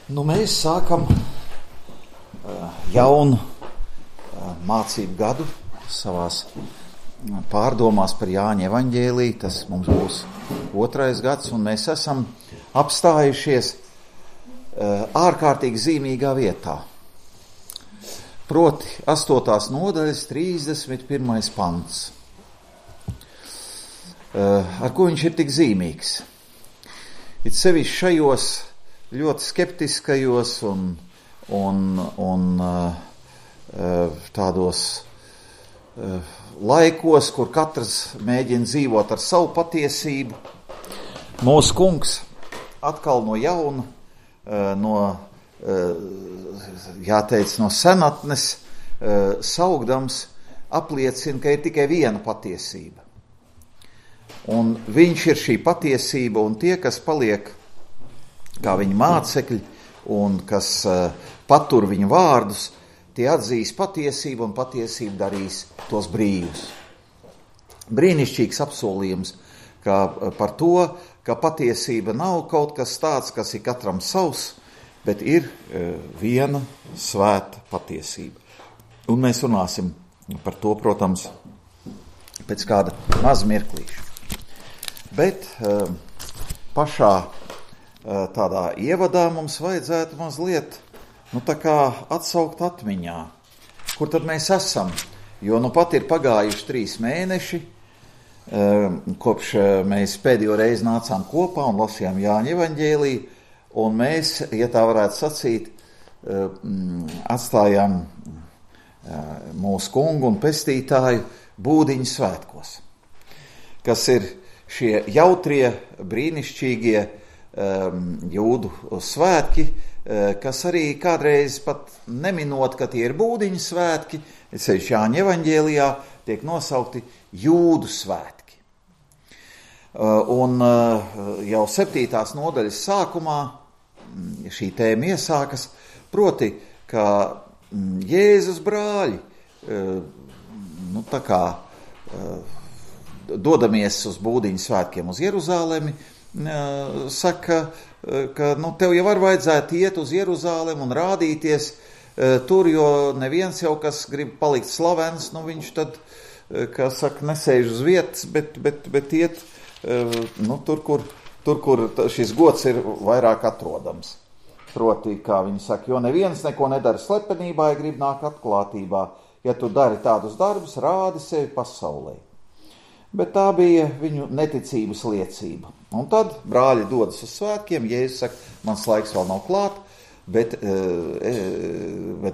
Mēs sākam jaunu mācību gadu savās pārdomās par Jāņa evaņģēliju. Tas mums būs 2. gads, un mēs esam apstājušies ārkārtīgi zīmīgā vietā. Proti 8. nodaļas 31. pants. Ar ko viņš ir tik zīmīgs? It sevišķi šajos ļoti skeptiskajos un tādos laikos, kur katrs mēģina dzīvot ar savu patiesību. Mūsu kungs atkal no jauna, no senatnes saugdams apliecina, ka ir tikai viena patiesība. Un viņš ir šī patiesība, un tie, kas paliek kā viņa mācekļi un kas patur viņa vārdus, tie atzīs patiesību, un patiesība darīs tos brīvus. Brīnišķīgs apsolījums par to, ka patiesība nav kaut kas tāds, kas ir katram savs, bet ir viena svēta patiesība. Un mēs runāsim par to, protams, pēc kāda maz mirklīša. Bet pašā tādā ievadā mums vajadzētu mazliet atsaukt atmiņā, kur tad mēs esam, jo pat ir pagājuši 3 mēneši, kopš mēs pēdējo reizi nācām kopā un lasījām Jāņa evaņģēliju, un mēs, ja tā varētu sacīt, atstājām mūsu kungu un pestītāju Būdiņu svētkos, kas ir šie jautrie, brīnišķīgie jūdu svētki, kas arī kādreiz pat neminot, ka tie ir Būdiņu svētki, ceļš Jāņa evaņģēlijā tiek nosaukti jūdu svētki. Un jau 7. nodaļas sākumā šī tēma iesākas, proti, ka Jēzus brāļi, dodamies uz Būdiņu svētkiem uz Jeruzālemi, saka, ka tev jau var vajadzētu iet uz Jeruzālemi un rādīties tur, jo neviens jau, kas grib palikt slavens, viņš tad, kā saka, nesēž uz vietas, bet iet tur, kur šis gods ir vairāk atrodams. Proti, kā viņi saka, jo neviens neko nedara slepenībā, ja grib nākt atklātībā. Ja tu dari tādus darbus, rādi sevi pasaulē. Bet tā bija viņu neticības liecība. Un tad brāļi dodas uz svētkiem, Jēzus saka, mans laiks vēl nav klāt, bet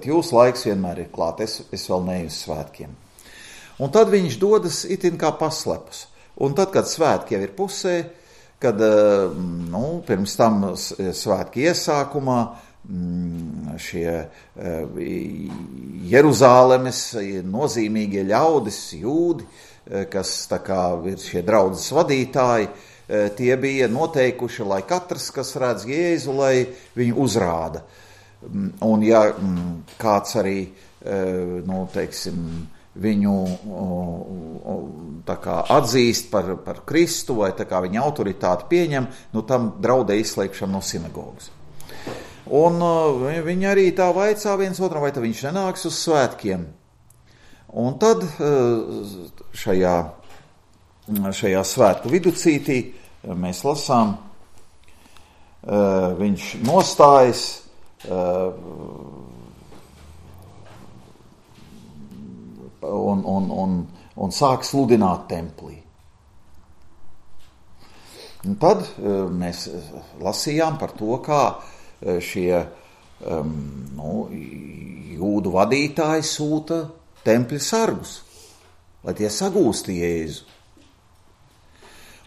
jūsu laiks vienmēr ir klāt, es vēl neju uz svētkiem. Un tad viņš dodas itin kā paslepus. Un tad, kad svētki jau ir pusē, kad pirms tam svētki iesākumā, šie Jeruzālemes nozīmīgie ļaudis, jūdi, kas tā kā ir šie draudzes vadītāji, tie bija noteikuši, lai katrs, kas redz Jēzu, lai viņu uzrāda. Un ja kāds arī, viņu tā kā atzīst par Kristu vai tā kā viņa autoritāti pieņem, tam draudē izslēgšana no sinagogas. Un viņi arī tā vaicā viens otram, vai tad viņš nenāks uz svētkiem. Un tad šajā svētku viducītī mēs lasām, viņš nostājas un sāk sludināt templī. Un tad mēs lasījām par to, kā šie jūdu vadītāji sūta tempļa sargus, lai tie sagūst Jēzu.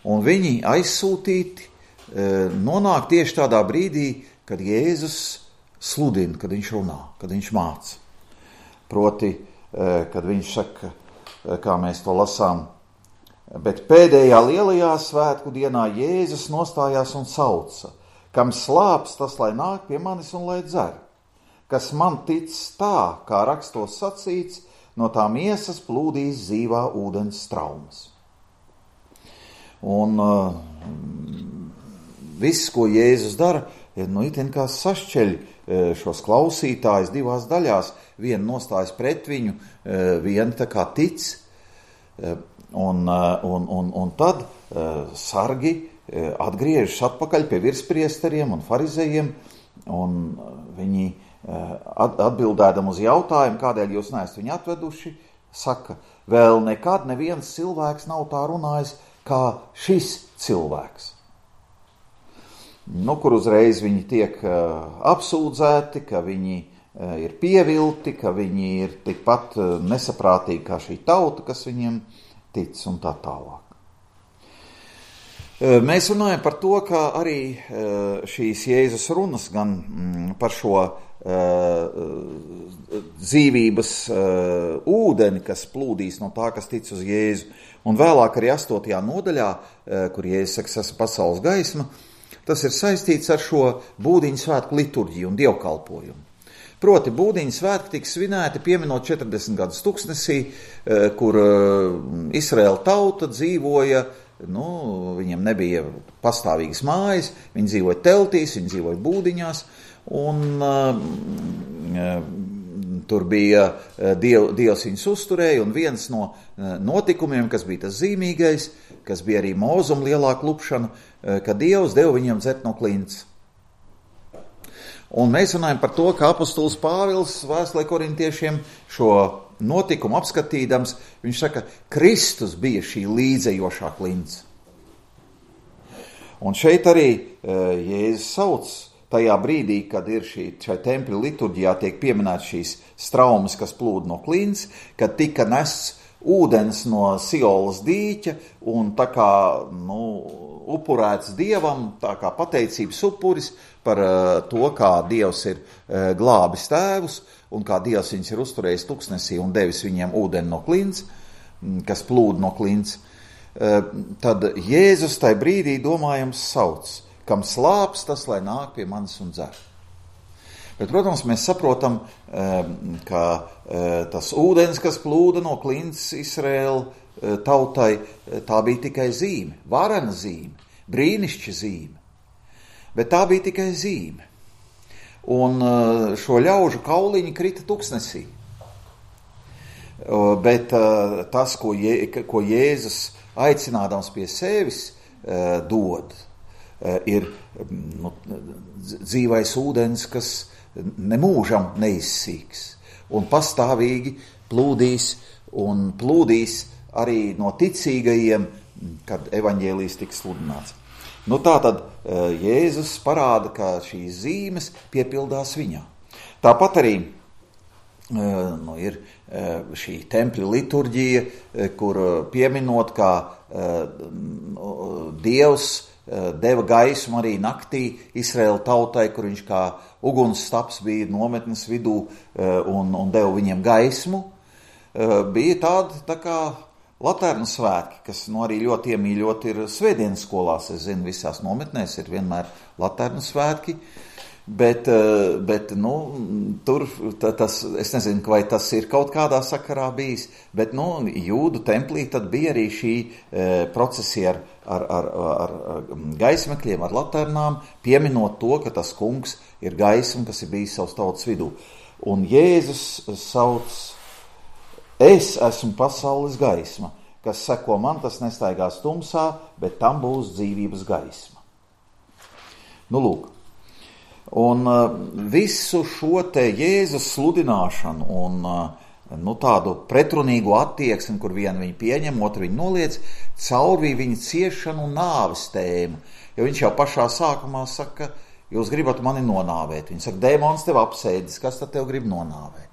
Un viņi aizsūtīti nonāk tieši tādā brīdī, kad Jēzus sludina, kad viņš runā, kad viņš māca. Proti, kad viņš saka, kā mēs to lasām, bet pēdējā lielajā svētku dienā Jēzus nostājās un sauca, kam slāps, tas lai nāk pie manis un lai dzer, kas man tic tā, kā rakstos sacīts, no tā miesas plūdīs dzīvā ūdens straumes. Un viss, ko Jēzus dara, itin kā sašķeļ šos klausītājus divās daļās. Viena nostājas pret viņu, viena tā kā tic. Un tad sargi atgriežas atpakaļ pie virspriesteriem un farizejiem, un viņi atbildēdam uz jautājumu, kādēļ jūs neesat viņu atveduši, saka, vēl nekad neviens cilvēks nav tā runājis, kā šis cilvēks. Kur uzreiz viņi tiek apsūdzēti, ka viņi ir pievilti, ka viņi ir tikpat nesaprātīgi kā šī tauta, kas viņiem tic un tā tālāk. Mēs runājam par to, ka arī šīs Jēzus runas gan par šo dzīvības ūdeni, kas plūdīs no tā, kas tic uz Jēzu, un vēlāk arī 8. nodaļā, kur Jēzus saka, esmu pasaules gaisma, tas ir saistīts ar šo būdiņu svētku liturģiju un dievkalpojumu. Proti, būdiņu svētki tika svinēti pieminot 40 gadus tuksnesī, kur Izraēla tauta dzīvoja, viņiem nebija pastāvīgas mājas, viņi dzīvoja teltīs, viņi dzīvoja būdiņās, un tur bija Dievs viņus uzturēja, un viens no notikumiem, kas bija tas zīmīgais, kas bija arī Mūzuma lielā klupšana, ka Dievs deva viņiem dzert no klints. Un mēs runājam par to, ka apostols Pāvils vēstulē korintiešiem šo notikumu apskatīdams, viņš saka, Kristus bija šī līdzējošā klints. Un šeit arī Jēzus sauc tajā brīdī, kad ir šai tempļa liturģijā tiek pieminēts šīs straumes, kas plūd no klints, kad tika nests ūdens no Siolas dīķa un tā kā, upurēts Dievam, tā kā pateicības upuris par to, kā Dievs ir glābis tēvus un kā Dievs viņus ir uzturējis tuksnesī un devis viņiem ūdeni no klints, kas plūd no klints. Tad Jēzus tai brīdī domājams sauc, kam slāps, tas lai nāk pie manis un dzer. Bet, protams, mēs saprotam, ka tas ūdens, kas plūda no klints Izraēla tautai, tā bija tikai zīme, varena zīme, brīnišķa zīme. Bet tā bija tikai zīme. Un šo ļaužu kauliņi krita tuksnesī. Bet tas, ko Jēzus aicinādams pie sevis dod, ir dzīvais ūdens, kas nemūžam neizsīks un pastāvīgi plūdīs un plūdīs arī no ticīgajiem, kad evaņģēlijs tiks sludināts. Tātad Jēzus parāda, ka šīs zīmes piepildās viņā. Tāpat arī ir šī tempļa liturģija, kur pieminot, kā Dievs deva gaismu arī naktī Izraēla tautai, kur viņš kā ugunsstaps bija nometnes vidū un deva viņiem gaismu, bija tāda tā kā Laternu svētki, kas arī ļoti iemīļot ir svētdienas skolās. Es zinu, visās nometnēs ir vienmēr Laternu svētki, bet tur tas, es nezinu, vai tas ir kaut kādā sakarā bijis, bet jūdu templī tad bija arī šī procesija ar gaismekļiem, ar laternām, pieminot to, ka tas kungs ir gaisma, kas ir bijis savas tautas vidū. Un Jēzus sauc, es esmu pasaules gaisma, kas seko man, tas nestaigās tumsā, bet tam būs dzīvības gaisma. Lūk. Un visu šo te Jēzus sludināšanu un tādu pretrunīgu attieksmi, kur vienu viņu pieņem, otru viņu noliec, caurvīja viņa ciešanu un nāves tēmu. Jo viņš jau pašā sākumā saka, jūs gribat mani nonāvēt. Viņš saka, dēmons tev apsēdis, kas tad tev grib nonāvēt?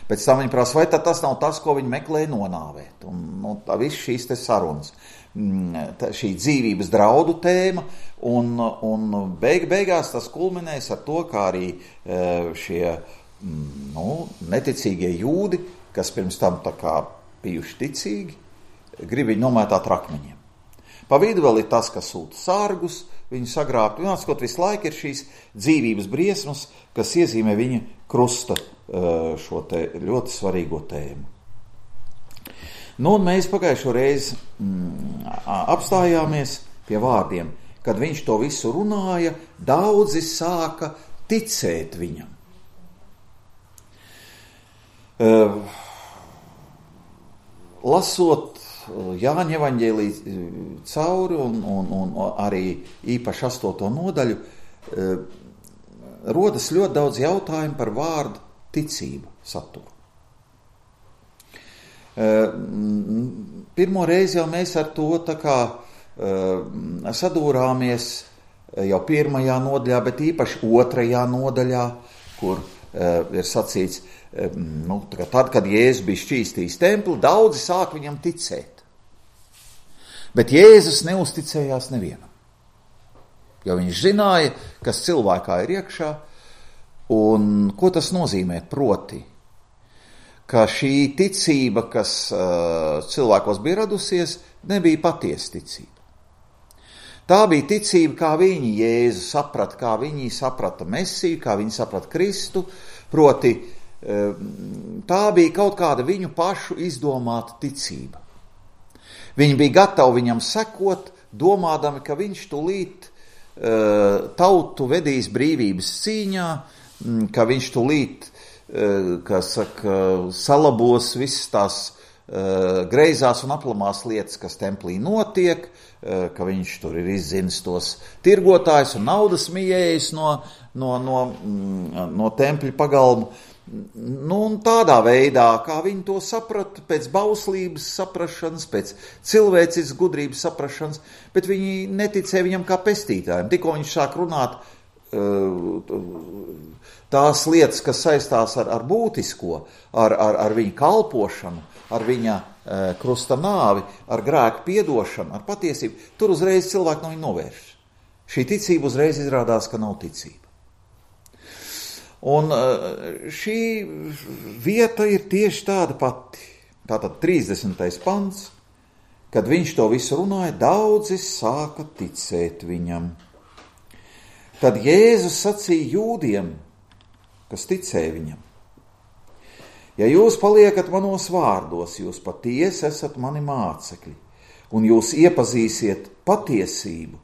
Pēc tam viņi prasa, vai tas nav tas, ko viņi meklēja nonāvēt. Un tā viss šīs te sarunas, šī dzīvības draudu tēma, un beigās tas kulminēs ar to, kā arī šie neticīgie jūdi, kas pirms tam tā kā bijuši ticīgi, grib viņu nomētāt rakmeņiem. Pa vidu vēl ir tas, kas sūta sargus, viņu sagrābt, un atskot visu laiku ir šīs dzīvības briesmas, kas iezīmē viņa krusta šo te ļoti svarīgo tēmu. Un mēs pagājušo reizi apstājāmies pie vārdiem, kad viņš to visu runāja, daudzi sāka ticēt viņam. Lasot Jāņa evaņģēliju cauri un arī īpaši 8. nodaļu, rodas ļoti daudz jautājumu par vārdu ticību saturu. Pirmo reizi jau mēs ar to tā kā sadūrāmies jau 1. nodaļā, bet īpaši 2. nodaļā, kur ir sacīts, tad, kad Jēzus bija šķīstījis templi, daudzi sāk viņam ticēt. Bet Jēzus neuzticējās nevienam, jo viņš zināja, kas cilvēkā ir iekšā, un ko tas nozīmē proti, ka šī ticība, kas cilvēkos bija radusies, nebija patiesa ticība. Tā bija ticība, kā viņi Jēzu saprata, kā viņi saprata Mesiju, kā viņi saprata Kristu, proti tā bija kaut kāda viņu pašu izdomāta ticība. Viņi bija gatavi viņam sekot, domādami, ka viņš tūlīt tautu vedīs brīvības cīņā, ka viņš tūlīt, salabos visas tās greizās un aplamās lietas, kas templī notiek, ka viņš tur ir izzinis tos tirgotājus un naudas mijējus no tempļa pagalmu. Un tādā veidā, kā viņi to saprata, pēc bauslības saprašanas, pēc cilvēces gudrības saprašanas, bet viņi neticēja viņam kā pestītājiem. Tikko viņš sāk runāt tās lietas, kas saistās ar būtisko, ar viņa kalpošanu, ar viņa krusta nāvi, ar grēku piedošanu, ar patiesību, tur uzreiz cilvēki no viņa novērš. Šī ticība uzreiz izrādās, ka nav ticība. Un šī vieta ir tieši tāda pati. Tātad 30. pants, kad viņš to visu runāja, daudzi sāka ticēt viņam. Tad Jēzus sacīja jūdiem, kas ticēja viņam: ja jūs paliekat manos vārdos, jūs patiesi esat mani mācekļi, un jūs iepazīsiet patiesību,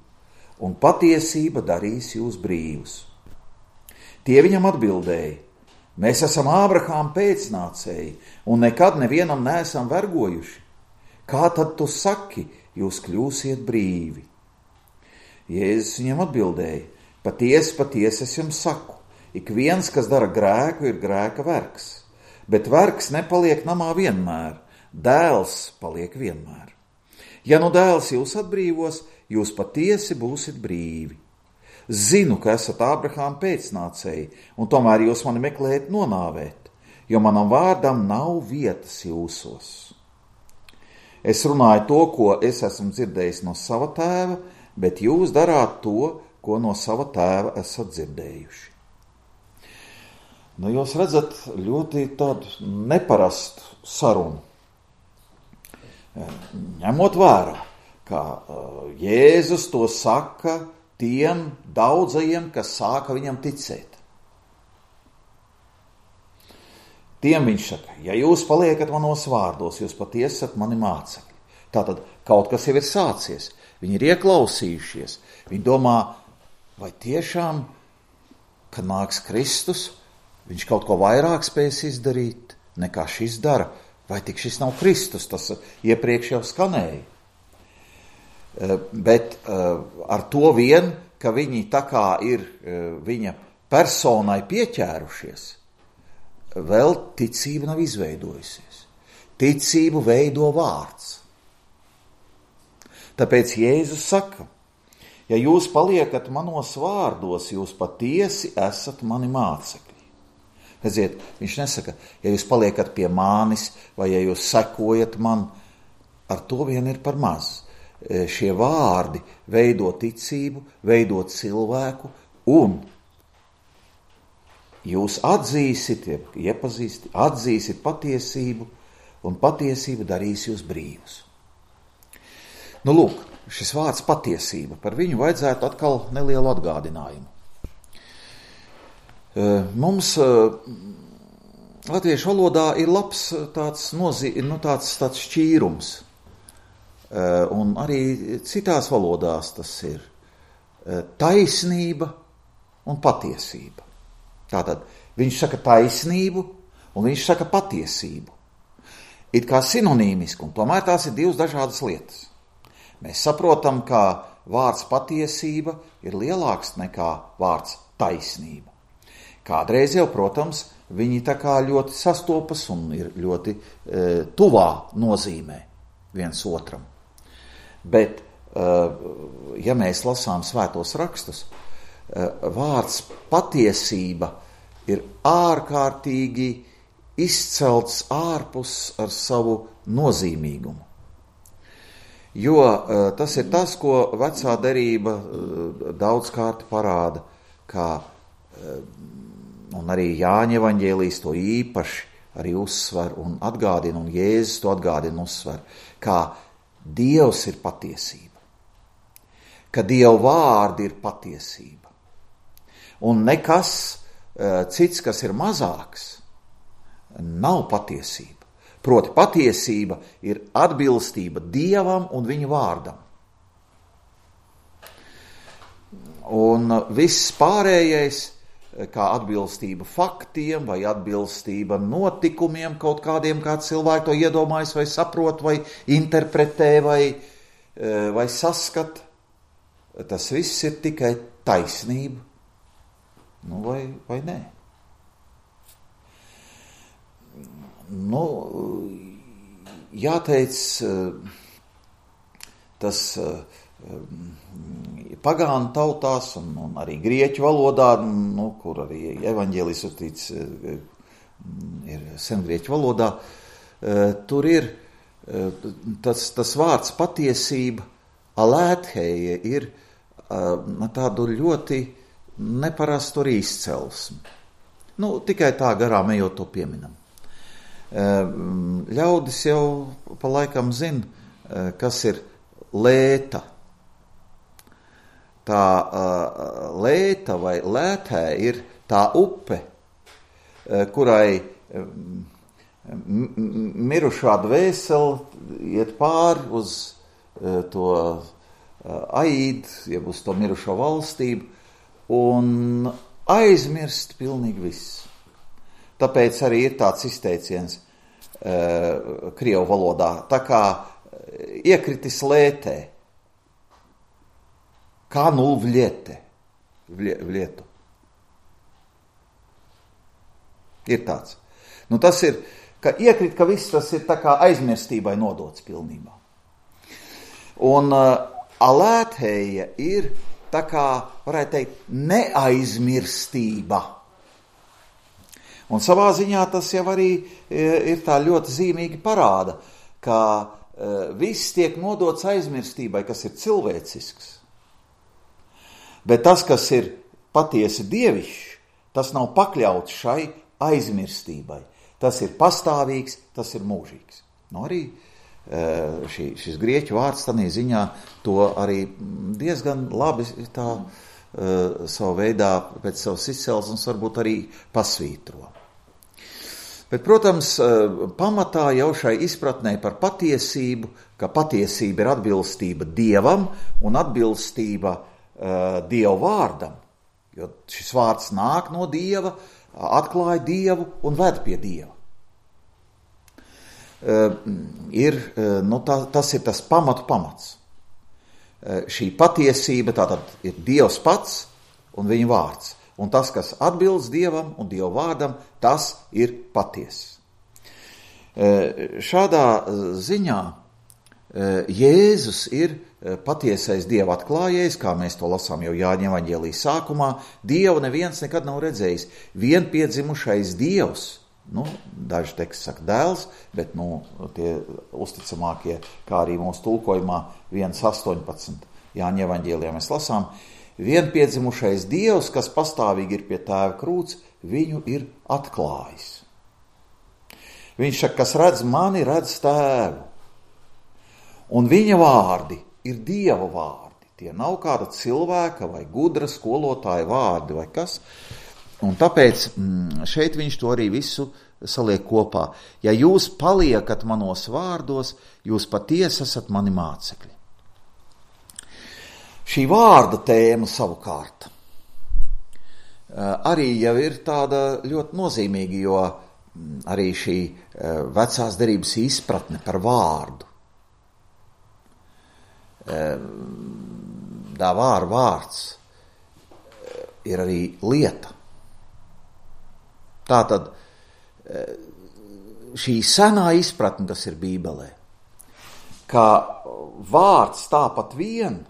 un patiesība darīs jūs brīvus. Tie viņam atbildēja: mēs esam Ābrahāma pēcnācēji, un nekad nevienam neesam vergojuši. Kā tad tu saki, jūs kļūsiet brīvi? Jēzus viņam atbildēja: patiesi, patiesi es jums saku, ik viens, kas dara grēku, ir grēka vergs. Bet vergs nepaliek namā vienmēr, dēls paliek vienmēr. Ja nu dēls jūs atbrīvos, jūs patiesi būsit brīvi. Zinu, ka esat Ābrahāma pēcnācēji, un tomēr jūs mani meklējat nonāvēt, jo manam vārdam nav vietas jūsos. Es runāju to, ko es esmu dzirdējis no sava tēva, bet jūs darāt to, ko no sava tēva esat dzirdējuši. Jūs redzat ļoti tādu neparastu sarunu. Ņemot vērā, ka Jēzus to saka tiem daudzajiem, kas sāka viņam ticēt. Tiem viņš saka: ja jūs paliekat manos vārdos, jūs patiesi esat mani mācekļi. Tātad kaut kas jau ir sācies, viņi ir ieklausījušies, viņi domā, vai tiešām, kad nāks Kristus, viņš kaut ko vairāk spēs izdarīt, nekā šis dara, vai tik šis nav Kristus, tas iepriekš jau skanēja. Bet ar to vien, ka viņi tā kā ir viņa personai pieķērušies, vēl ticība nav izveidojusies. Ticību veido vārds. Tāpēc Jēzus saka: ja jūs paliekat manos vārdos, jūs patiesi esat mani mācekļi. Redziet, viņš nesaka, ja jūs paliekat pie manis, vai ja jūs sekojat man, ar to vien ir par maz. Šie vārdi veido ticību, veido cilvēku, un jūs atzīsit patiesību, un patiesība darīs jūs brīvus. Lūk, šis vārds patiesība, par viņu vajadzētu atkal nelielu atgādinājumu. Mums latviešu valodā ir labs tāds šķīrums, un arī citās valodās tas ir. taisnība un patiesība. Tātad viņš saka taisnību un viņš saka patiesību. It kā sinonīmiski, un tomēr tās ir divas dažādas lietas. Mēs saprotam, ka vārds patiesība ir lielāks nekā vārds taisnība. Kādreiz jau, protams, viņi tā kā ļoti sastopas un ir ļoti tuvā nozīmē viens otram. Bet, ja mēs lasām svētos rakstus, vārds patiesība ir ārkārtīgi izcelts ārpus ar savu nozīmīgumu. Jo tas ir tas, ko vecā derība daudzkārt parāda, kā, un arī Jāņa evaņģēlijs to īpaši arī uzsver un atgādina, un Jēzus to atgādina un uzsver, kā Dievs ir patiesība, ka Dieva vārdi ir patiesība. Un nekas cits, kas ir mazāks, nav patiesība. Proti patiesība ir atbilstība Dievam un viņa vārdam. Un viss pārējais, kā atbilstība faktiem vai atbilstība notikumiem kaut kādiem, kā cilvēki to iedomājas vai saprot vai interpretē vai saskat, tas viss ir tikai taisnība. Nu, vai nē? Nu, jāteic, tas pagānu tautās un arī grieķu valodā, nu, kur arī evaņģēlijs uztīts ir sengrieķu valodā, tur ir tas vārds patiesība, alētheja, ir tādu ļoti neparastu arī izcelsmi. Nu, tikai tā garām ejot to pieminam. Ļaudis jau pa laikam zina, kas ir lēta. Tā lēta vai lētē ir tā upe, kurai mirušā dvēsele iet pāri uz to aīdu, jeb uz to mirušo valstību, un aizmirst pilnīgi viss. Tāpēc arī ir tāds izteiciens krievu valodā, tā kā iekritis lētē, kā nu vlietu. Ir tāds. Nu tas ir, ka iekrit, ka viss tas ir tā kā aizmirstībai nodots pilnībā. Un alētheja ir tā kā, varētu teikt, neaizmirstība. Un savā ziņā tas jau arī ir tā ļoti zīmīgi parāda, ka viss tiek nodots aizmirstībai, kas ir cilvēcisks. Bet tas, kas ir patiesi dievišķs, tas nav pakļauts šai aizmirstībai. Tas ir pastāvīgs, tas ir mūžīgs. Nu, arī šis grieķu vārds tādā ziņā to arī diezgan labi tā savu veidā pēc savas izcelsmes varbūt arī pasvītro. Bet, protams, pamatā jau šai izpratnē par patiesību, ka patiesība ir atbilstība Dievam un atbilstība Dieva vārdam, jo šis vārds nāk no Dieva, atklāja Dievu un ved pie Dieva. Tas ir tas pamats. Šī patiesība tātad ir Dievs pats un viņa vārds. Un tas, kas atbilst Dievam un Dieva vārdam, tas ir patiess. Šādā ziņā Jēzus ir patiesais Dieva atklājējs, kā mēs to lasām jau Jāņa evaņģēlijas sākumā. Dievu neviens nekad nav redzējis. Vienpiedzimušais Dievs, nu, daži teksti saka dēls, bet tie uzticamākie, kā arī mūsu tulkojumā 1.18. Jāņa evaņģēlijā mēs lasām, vienpiedzimušais Dievs, kas pastāvīgi ir pie tēva krūts, viņu ir atklājis. Viņš saka, kas redz mani, redz tēvu. Un viņa vārdi ir Dieva vārdi. Tie nav kāda cilvēka vai gudra skolotāja vārdi vai kas. Un tāpēc šeit viņš to arī visu saliek kopā. Ja jūs paliekat manos vārdos, jūs patiesi esat mani mācekļi. Šī vārda tēma savukārt arī jau ir tāda ļoti nozīmīga, jo arī šī vecās derības izpratne par vārdu. Dāvāra vārds ir arī lieta. Tātad šī senā izpratne, kas ir Bībelē, ka vārds tāpat vien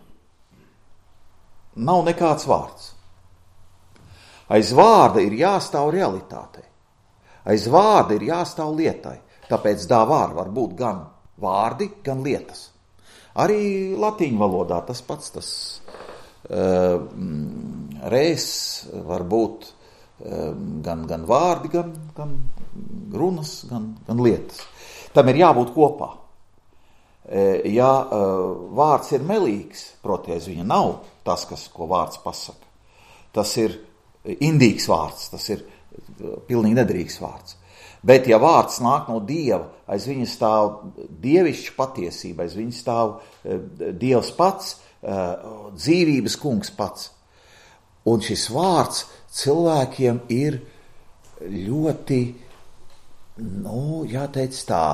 nav nekāds vārds. Aiz vārda ir jāstāv realitātei. Aiz vārda ir jāstāv lietai. Tāpēc dāvāra var būt gan vārdi, gan lietas. Arī latīņu valodā tas pats, tas res var būt gan vārdi, gan runas, gan lietas. Tam ir jābūt kopā. Ja vārds ir melīgs, proties viņa nav tas, ko vārds pasaka. Tas ir indīgs vārds, tas ir pilnīgi nedrīgs vārds. Bet ja vārds nāk no Dieva, aiz viņa stāv dievišķa patiesība, aiz viņa stāv Dievs pats, dzīvības kungs pats. Un šis vārds cilvēkiem ir ļoti, jāteic tā,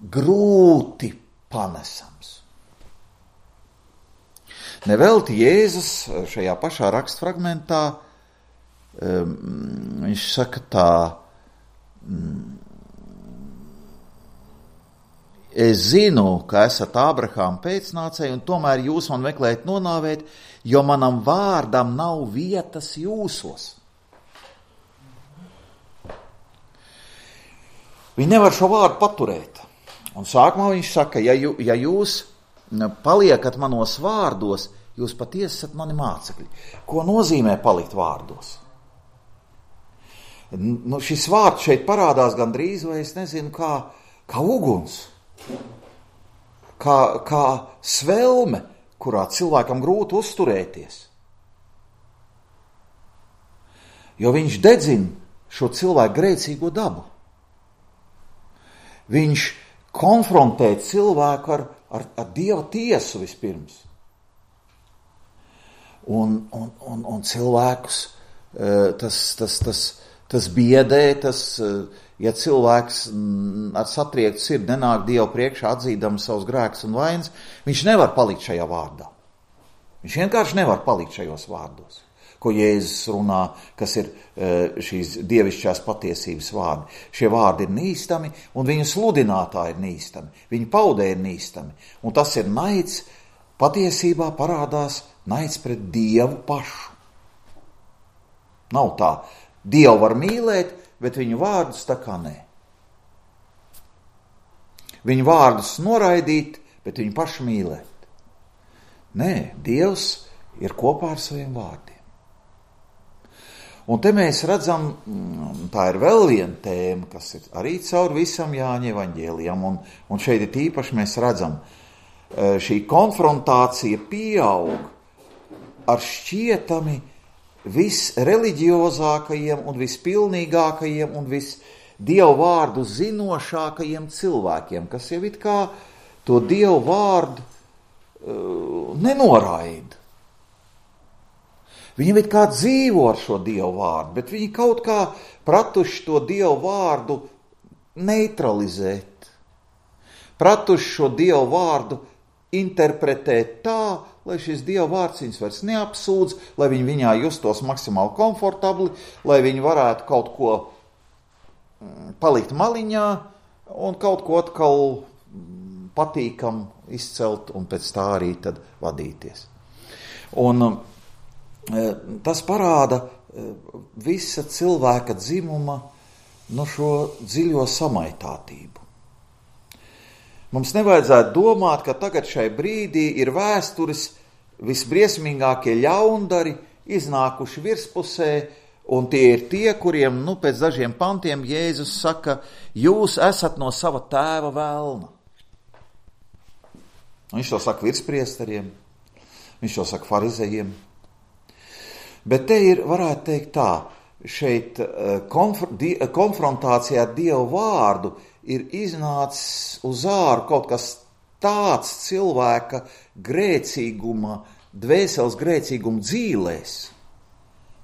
grūti panesams. Nevelti Jēzus šajā pašā rakstfragmentā, viņš saka tā, es zinu, ka esat Ābrahāma pēcnācēji, un tomēr jūs man meklējat nonāvēt, jo manam vārdam nav vietas jūsos. Viņi nevar šo vārdu paturēt. Un sākumā viņš saka, ja jūs paliekat manos vārdos, jūs patiesi esat mani mācekļi. Ko nozīmē palikt vārdos? Šis vārds šeit parādās gandrīz, vai es nezinu, kā uguns, kā svelme, kurā cilvēkam grūti uzturēties. Jo viņš dedzina šo cilvēku grēcīgo dabu. Viņš konfrontē cilvēku ar Dieva tiesu vispirms. Un cilvēkus tas biedē, ja cilvēks ar satriektu sirdi nenāk Dievu priekšā atzīdams savus grēkus un vainas, viņš nevar palikt šajā vārdā. Viņš vienkārši nevar palikt šajos vārdos, ko Jēzus runā, kas ir šīs dievišķās patiesības vārdi. Šie vārdi ir nīstami, un viņu sludinātāji ir nīstami, viņu paudē ir nīstami. Un tas ir naids, patiesībā parādās naids pret Dievu pašu. Nav tā. Dievu var mīlēt, bet viņu vārdus tā kā nē. Viņu vārdus noraidīt, bet viņu pašu mīlēt. Nē, Dievs ir kopā ar saviem vārdiem. Un te mēs redzam, tā ir vēl viena tēma, kas ir arī caur visam Jāņa evaņģēlijam, un šeit ir īpaši mēs redzam, šī konfrontācija pieaug ar šķietami visreliģiozākajiem un vispilnīgākajiem un visdievu vārdu zinošākajiem cilvēkiem, kas jau it kā to dievu vārdu nenoraida. Viņi it kā dzīvo ar šo dievu vārdu, bet viņi kaut kā pratuši to dievu vārdu neutralizēt. Pratuši šo dievu vārdu interpretēt tā, lai šis Dieva vārds viņus vairs neapsūdz, lai viņi viņā justos maksimāli komfortabli, lai viņi varētu kaut ko palikt maliņā un kaut ko atkal patīkam izcelt un pēc tā arī tad vadīties. Un tas parāda visa cilvēka dzimuma šo dziļo samaitātību. Mums nevajadzētu domāt, ka tagad šai brīdī ir vēstures visbriesmīgākie ļaundari iznākuši virspusē, un tie ir tie, kuriem, pēc dažiem pantiem Jēzus saka, jūs esat no sava tēva velna. Viņš to saka virspriesteriem, viņš to saka farizejiem. Bet te ir, varētu teikt tā, šeit konfrontācijā ar Dievu vārdu ir iznācis uz āru kaut kas tāds cilvēka grēcīguma dvēseles grēcīguma dzīlēs,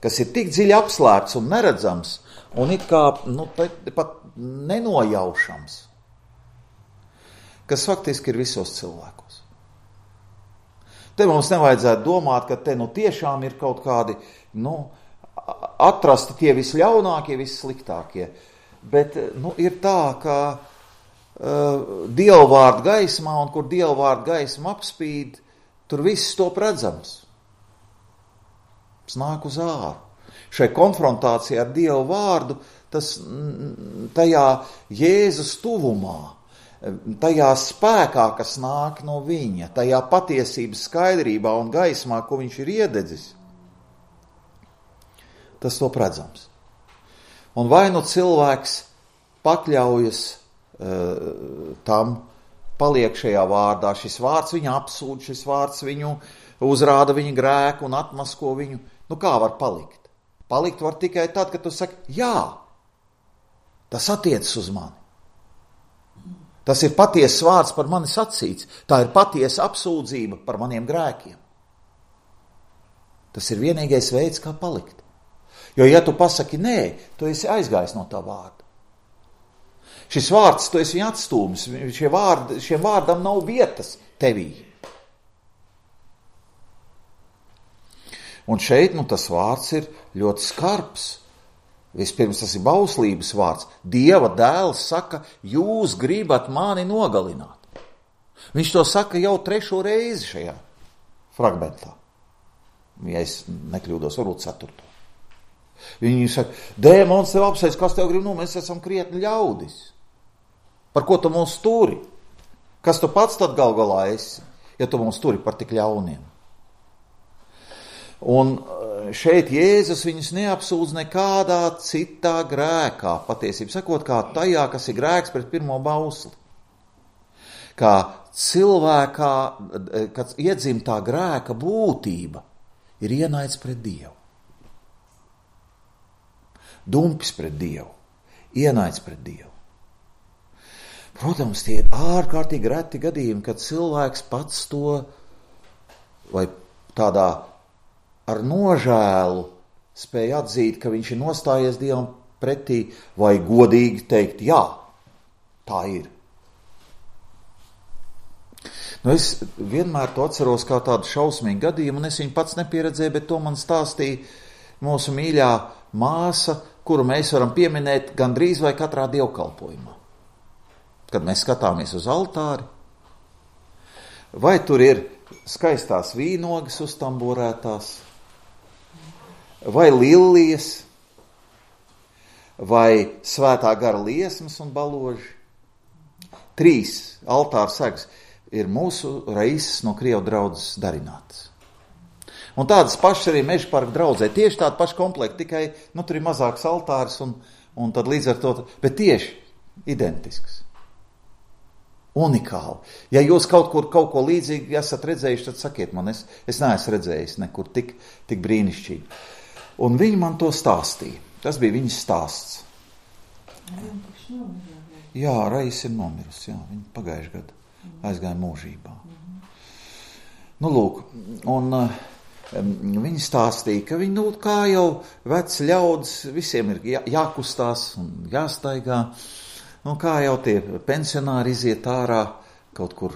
kas ir tik dziļi apslēpts un neredzams, un it kā pat nenojaušams, kas faktiski ir visos cilvēkos. Te mums nevajadzētu domāt, ka te tiešām ir kaut kādi, atrasti tie visļaunākie, vissliktākie. Bet, ir tā, ka dievvvārdu gaismā, un kur dievvvārdu gaisma apspīd, tur viss top redzams. Tas nāk uz āru. Šai konfrontācijā ar Dievu vārdu, tas tajā Jēzus tuvumā, tajā spēkā, kas nāk no viņa, tajā patiesības skaidrībā un gaismā, ko viņš ir iededzis, tas top redzams. Un vai cilvēks pakļaujas tam, paliek šajā vārdā, šis vārds viņu apsūdz, šis vārds viņu uzrāda viņa grēku un atmasko viņu. Kā var palikt? Palikt var tikai tad, kad tu saki, jā, tas attiecas uz mani. Tas ir patiesas vārds par mani sacīts. Tā ir patiesa apsūdzība par maniem grēkiem. Tas ir vienīgais veids, kā palikt. Jo, ja tu pasaki nē, tu esi aizgājis no tā vārda. Šis vārds, tu esi viņu atstūmis. Šiem vārdam nav vietas tevī. Un šeit, tas vārds ir ļoti skarbs. Vispirms tas ir bauslības vārds. Dieva dēls saka, jūs gribat mani nogalināt. Viņš to saka jau 3. reizi šajā fragmentā. Ja es nekļūdos, varbūt 4. Viņi saka, dēmons tev apsēs, kas tev grib, mēs esam krietni ļaudis. Par ko tu mūs turi? Kas tu pats tad gal galā esi, ja tu mūs turi par tik ļauniem? Un šeit Jēzus viņus neapsūdz nekādā citā grēkā, patiesībā sakot, kā tajā, kas ir grēks pret pirmo bausli. Kā cilvēkā, kad iedzimtā grēka būtība ir ienaids pret Dievu. Dumpis pret Dievu, ienaids pret Dievu. Protams, tie ir ārkārtīgi reti gadījumi, kad cilvēks pats to vai tādā ar nožēlu spēja atzīt, ka viņš ir nostājies Dievam pretī, vai godīgi teikt, jā, tā ir. Es vienmēr to atceros kā tādu šausmīgu gadījumu, un es viņu pats nepieredzēju, bet to man stāstīja mūsu mīļā māsa, kuru mēs varam pieminēt gandrīz vai katrā dievkalpojumā. Kad mēs skatāmies uz altāri, vai tur ir skaistās vīnogas uztamborētās, vai lilijas, vai svētā gara liesmas un baloži. 3 altāra segas ir mūsu reizes no Krievu draudzes darinātas. Un tādas pašas arī Meža parka draudzē. Tieši tāda paša komplekta, tikai tur ir mazāks altārs un tad līdz ar to, bet tieši identisks. Unikāli. Ja jūs kaut ko līdzīgi esat redzējuši, tad sakiet man, es neesmu redzējis nekur tik brīnišķīgi. Un viņi man to stāstīja. Tas bija viņas stāsts. Jā, Reis ir nomirusi, jā, viņa pagājušajā gadā aizgāja mūžībā. Lūk, un viņi stāstīja, ka viņi, kā jau veci ļaudis, visiem ir jākustās un jāstaigā. Kā jau tie pensionāri iziet ārā kaut kur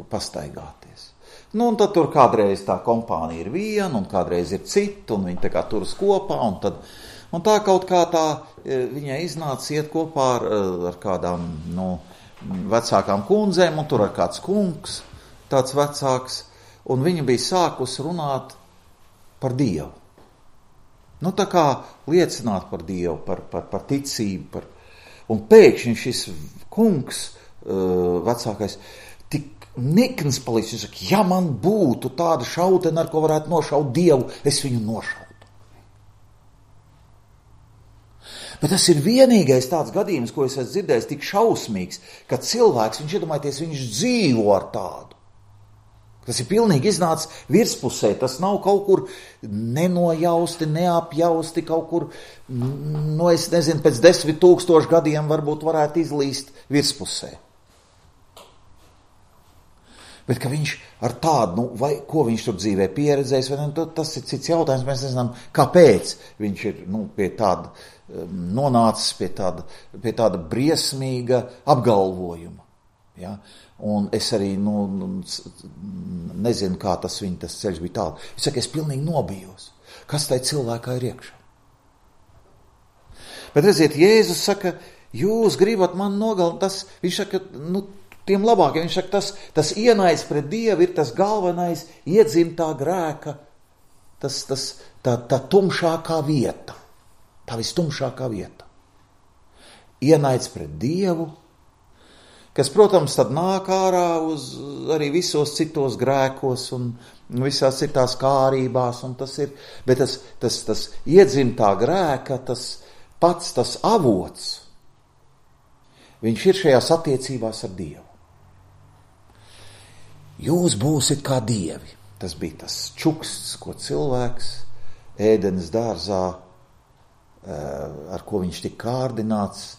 pastaigāties. Un tad tur kādreiz tā kompānija ir viena, un kādreiz ir cita, un viņi tā kā turas kopā, un tā kaut kā tā viņai iznāca iet kopā ar kādām, vecākām kundzēm, un tur ar kāds kungs, tāds vecāks, un viņa bija sākus runāt par Dievu. Tā kā liecināt par Dievu, par ticību, un pēkšņi šis kungs, vecākais, tik nikns palicis, viņš saka, ja man būtu tāda šautena, ar ko varētu nošaut Dievu, es viņu nošautu. Bet tas ir vienīgais tāds gadījums, ko es esmu dzirdējis, tik šausmīgs, ka cilvēks, viņš iedomājieties, viņš dzīvo ar tādu. Tas ir pilnīgi iznācis virspusē, tas nav kaut kur nenojausti, neapjausti, kaut kur, es nezinu, pēc 10 000 gadiem varbūt varētu izlīst virspusē. Bet ka viņš ar tādu, vai ko viņš tur dzīvē pieredzējis, vai ne, tas ir cits jautājums, mēs nezinām, kāpēc viņš ir pie tāda nonācis, pie tāda briesmīga apgalvojuma. Ja? Un es arī nezinu, kā tas ceļš bija tālu. Es saku, es pilnīgi nobijos. Kas tai cilvēkā ir iekšā? Bet redziet, Jēzus saka, jūs gribat man nogalināt, viņš saka, tiem labākiem, viņš saka, tas ienaids pret Dievu ir tas galvenais iedzimtā grēka, tā tumšākā vieta, tā vistumšākā vieta. Ienaids pret Dievu, kas, protams, tad nāk ārā uz arī visos citos grēkos un visās citās kārībās, un tas ir, bet tas iedzimtā grēka, tas avots, viņš ir šajās attiecībās ar Dievu. Jūs būsit kā dievi. Tas bija tas čuksts, ko cilvēks ēdenes dārzā, ar ko viņš tika kārdināts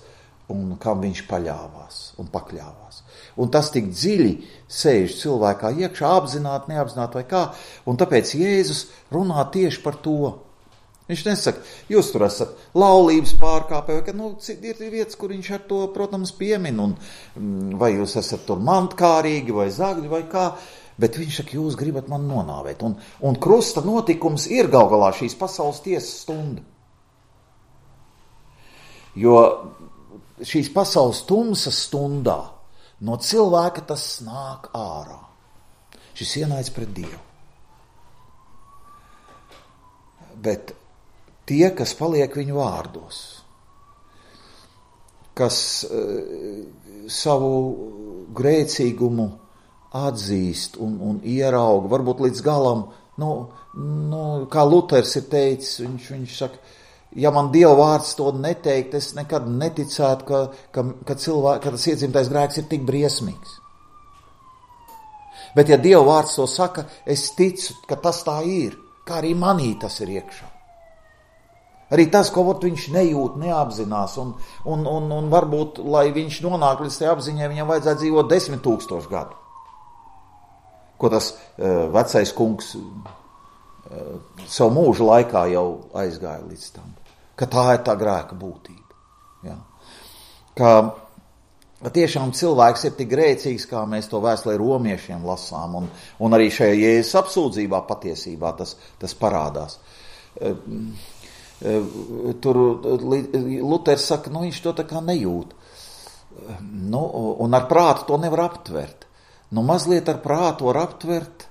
un kam viņš paļāvās un pakļāvās. Un tas tik dziļi sēž cilvēkā iekšā, apzināti, neapzināti vai kā, un tāpēc Jēzus runā tieši par to. Viņš nesaka, jūs tur esat laulības pārkāpēji, ir vietas, kur viņš ar to, protams, piemin, un vai jūs esat tur mantkārīgi vai zagļi vai kā, bet viņš saka, jūs gribat man nonāvēt. Un krusta notikums ir gal galā šīs pasaules tiesas stunda. Jo šīs pasaules tumsas stundā no cilvēka tas nāk ārā. Šis ienaids pret Dievu. Bet tie, kas paliek viņu vārdos, kas savu grēcīgumu atzīst un ierauga, varbūt līdz galam, kā Luters ir teicis, viņš saka, ja man Dieva vārds to neteikt, es nekad neticētu, ka tas iedzimtais grēks ir tik briesmīgs. Bet ja Dieva vārds to saka, es ticu, ka tas tā ir, kā arī manī tas ir iekšā. Arī tas, ko viņš nejūt, neapzinās, un varbūt, lai viņš nonāk līdz tajā apziņai, viņam vajadzētu dzīvot 10 000 gadu. Ko tas vecais kungs savu mūžu laikā jau aizgāja līdz tam. Ka tā ir tā grēka būtība. Ja? Ka tiešām cilvēks ir tik grēcīgs, kā mēs to vēstulē romiešiem lasām, un arī šajā Jēzus apsūdzībā patiesībā tas parādās. Tur Luters saka, viņš to tā kā nejūt. Un ar prātu to nevar aptvert. Mazliet ar prātu var aptvert,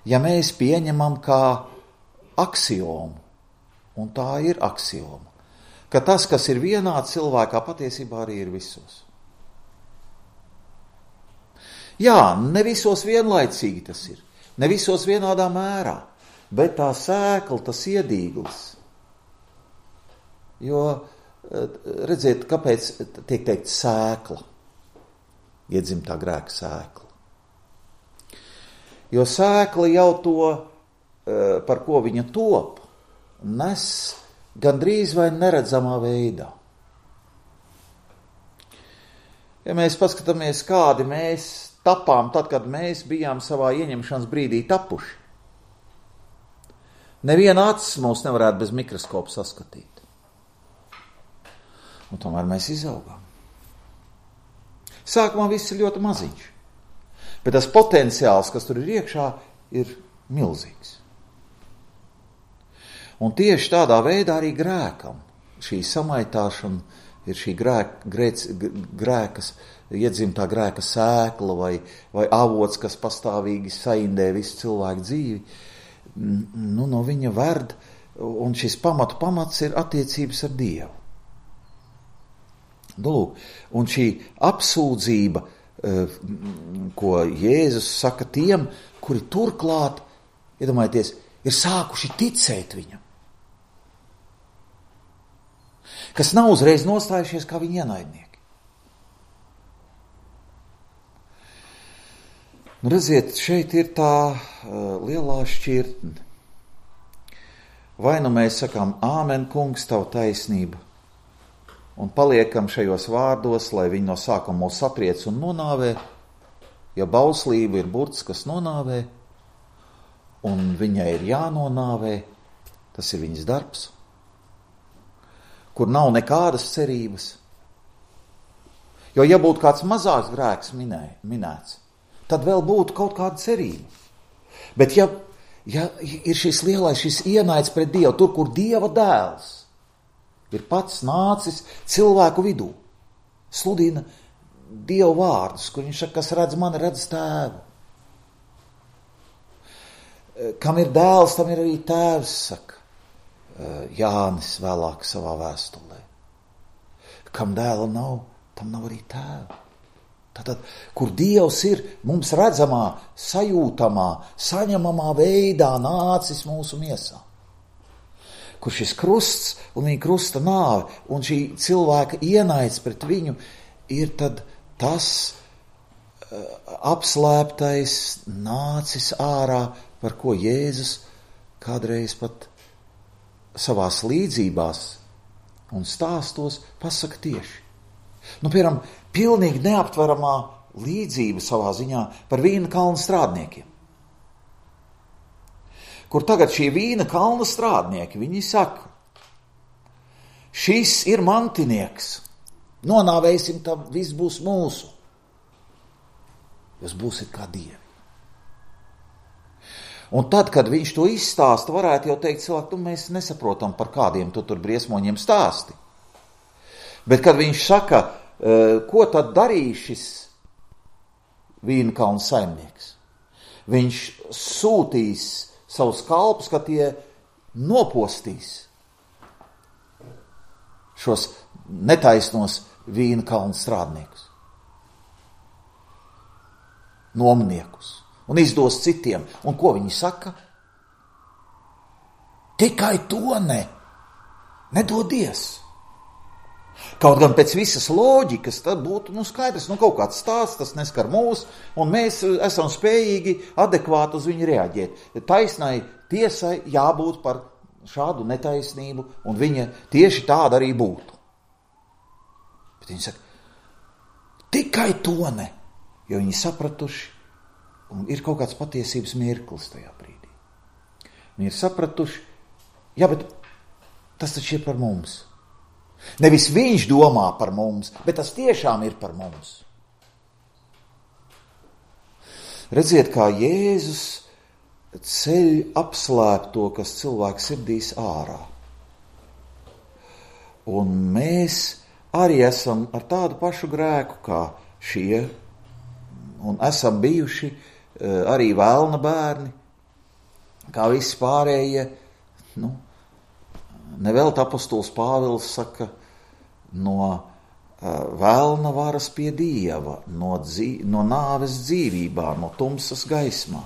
ja mēs pieņemam kā aksiomu, un tā ir aksioma, ka tas, kas ir vienā cilvēkā, patiesībā arī ir visos. Jā, ne visos vienlaicīgi tas ir, ne visos vienādā mērā, bet tā sēkla, tas iedīglis. Jo, redziet, kāpēc tiek teikt sēkla, iedzimtā grēka sēkla. Jo sēkla jau to, par ko viņa top, nes gandrīz vai neredzamā veidā. Ja mēs paskatāmies, kādi mēs tapām tad, kad mēs bijām savā ieņemšanas brīdī tapuši, neviena acis mūs nevarētu bez mikroskopa saskatīt. Un tomēr mēs izaugām. Sākumā viss ir ļoti maziņš, bet tas potenciāls, kas tur ir iekšā, ir milzīgs. Un tieši tādā veidā arī grēkam šī samaitāšana ir šī grēkas, iedzimtā grēka sēkla vai avots, kas pastāvīgi saindē visu cilvēku dzīvi. No viņa verd, un šis pamats ir attiecības ar Dievu. Un šī apsūdzība, ko Jēzus saka tiem, kuri turklāt, iedomājieties, ir sākuši ticēt viņam, kas nav uzreiz nostājušies kā viņa ienaidnieki. Redziet, šeit ir tā lielā šķirtne. Vai nu mēs sakām, āmen, kungs, tavu taisnību, un paliekam šajos vārdos, lai viņi no sākuma mūs satriec un nonāvē, Ja bauslība ir burts, kas nonāvē, un viņai ir jānonāvē, tas ir viņas darbs, kur nav nekādas cerības. Jo, ja būtu kāds mazāks grēks minēts, tad vēl būtu kaut kāda cerība. Bet ja ir šis lielais, šis ienaids pret Dievu, tur, kur Dieva dēls ir pats nācis cilvēku vidū, sludina Dievu vārdus, kur viņš saka, kas redz mani, redz tēvu. Kam ir dēls, tam ir arī tēvs, saka Jānis vēlāk savā vēstulē. Kam dēla nav, tam nav arī tēva. Tātad, kur Dievs ir mums redzamā, sajūtamā, saņemamā veidā nācis mūsu miesā. Kur šis krusts un viņa krusta nāve un šī cilvēka ienaids pret viņu ir tad tas apslēptais nācis ārā, par ko Jēzus kādreiz pat savās līdzībās un stāstos pasaka tieši. Piemēram, pilnīgi neaptveramā līdzība savā ziņā par vīna kalna strādniekiem. Kur tagad šie vīna kalna strādnieki, viņi saka, šis ir mantinieks, nonāvēsim, tam viss būs mūsu. Jūs būsiet kā dievi. Un tad, kad viņš to izstāsta, varētu jau teikt cilvēki, mēs nesaprotam, par kādiem tu tur briesmoņiem stāsti. Bet, kad viņš saka, ko tad darīs šis vīna kalna saimnieks? Viņš sūtīs savus kalpus, ka tie nopostīs šos netaisnos vīna kalna strādniekus, nomniekus, un izdos citiem. Un ko viņi saka? Tikai to nedodies. Kaut gan pēc visas loģikas tad būtu skaidrs, kaut kāds stāsts, tas neskar mūs, un mēs esam spējīgi adekvāti uz viņu reaģēt. Taisnai tiesai jābūt par šādu netaisnību, un viņa tieši tāda arī būtu. Bet viņi saka, tikai to jo viņi sapratuši, un ir kaut kāds patiesības mirklis tajā brīdī. Viņi ir sapratuši, bet tas taču ir par mums. Nevis viņš domā par mums, bet tas tiešām ir par mums. Redziet, kā Jēzus ceļ apslēpto, kas cilvēku sirdīs ārā. Un mēs arī esam ar tādu pašu grēku kā šie, un esam bijuši arī vēlna bērni, kā visi pārējie, Nevēlt apostols Pāvils saka, no vēlna varas pie Dieva, no nāves dzīvībā, no tumsas gaismā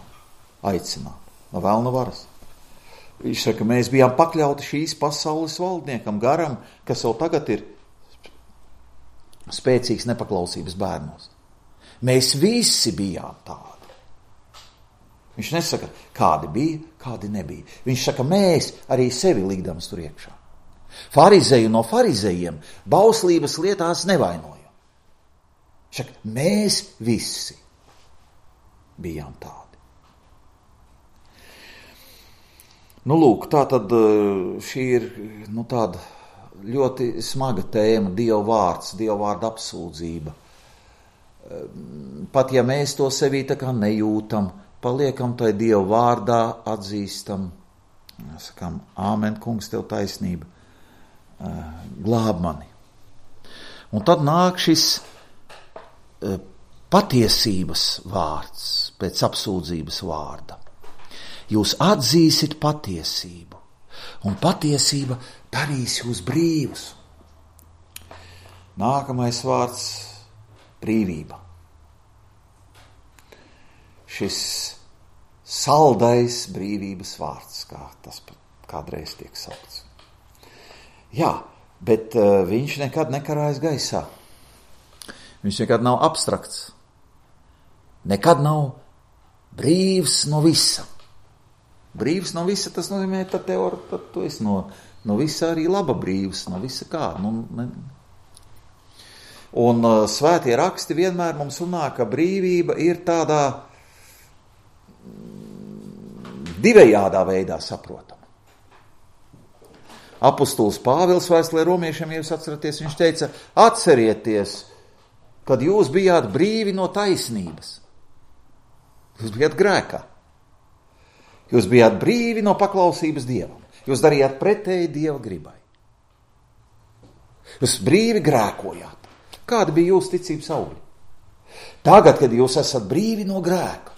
aicināt, no vēlna varas. Viņš saka, mēs bijām pakļauti šīs pasaules valdniekam, garam, kas jau tagad ir spēcīgs nepaklausības bērnos. Mēs visi bijām tādi. Viņš nesaka, kādi bija, kādi nebija. Viņš saka, mēs arī sevi likdams tur iekšā. Farizeju no farizejiem bauslības lietās nevainojam. Viņš saka, mēs visi bijām tādi. Lūk, tā tad šī ir tāda ļoti smaga tēma, Dieva vārds, Dieva vārda apsūdzība. Pat ja mēs to sevī tā kā nejūtam, paliekam tai Dieva vārdā, atzīstam, sakām, āmen, kungs, tev taisnība, glāb mani. Un tad nāk šis patiesības vārds pēc apsūdzības vārda. Jūs atzīsit patiesību, un patiesība darīs jūs brīvus. Nākamais vārds – brīvība. Šis saldais brīvības vārds, kā tas kādreiz tiek saukts. Jā, bet viņš nekad nekarājas gaisā. Viņš nekad nav abstrakts. Nekad nav brīvs no visa. Brīvs no visa, tas nozīmē, tad tu esi no visa arī laba brīvs, no visa kā. Un svētie raksti vienmēr mums runā, ka brīvība ir tādā divējādā veidā saprotama. Apostols Pāvils vēstulē romiešiem, ja jūs atceraties, viņš teica, atcerieties, kad jūs bijāt brīvi no taisnības. Jūs bijāt grēkā. Jūs bijāt brīvi no paklausības Dievam. Jūs darījāt pretēji Dieva gribai. Jūs brīvi grēkojāt. Kāda bija jūsu ticības augļi? Tagad, kad jūs esat brīvi no grēka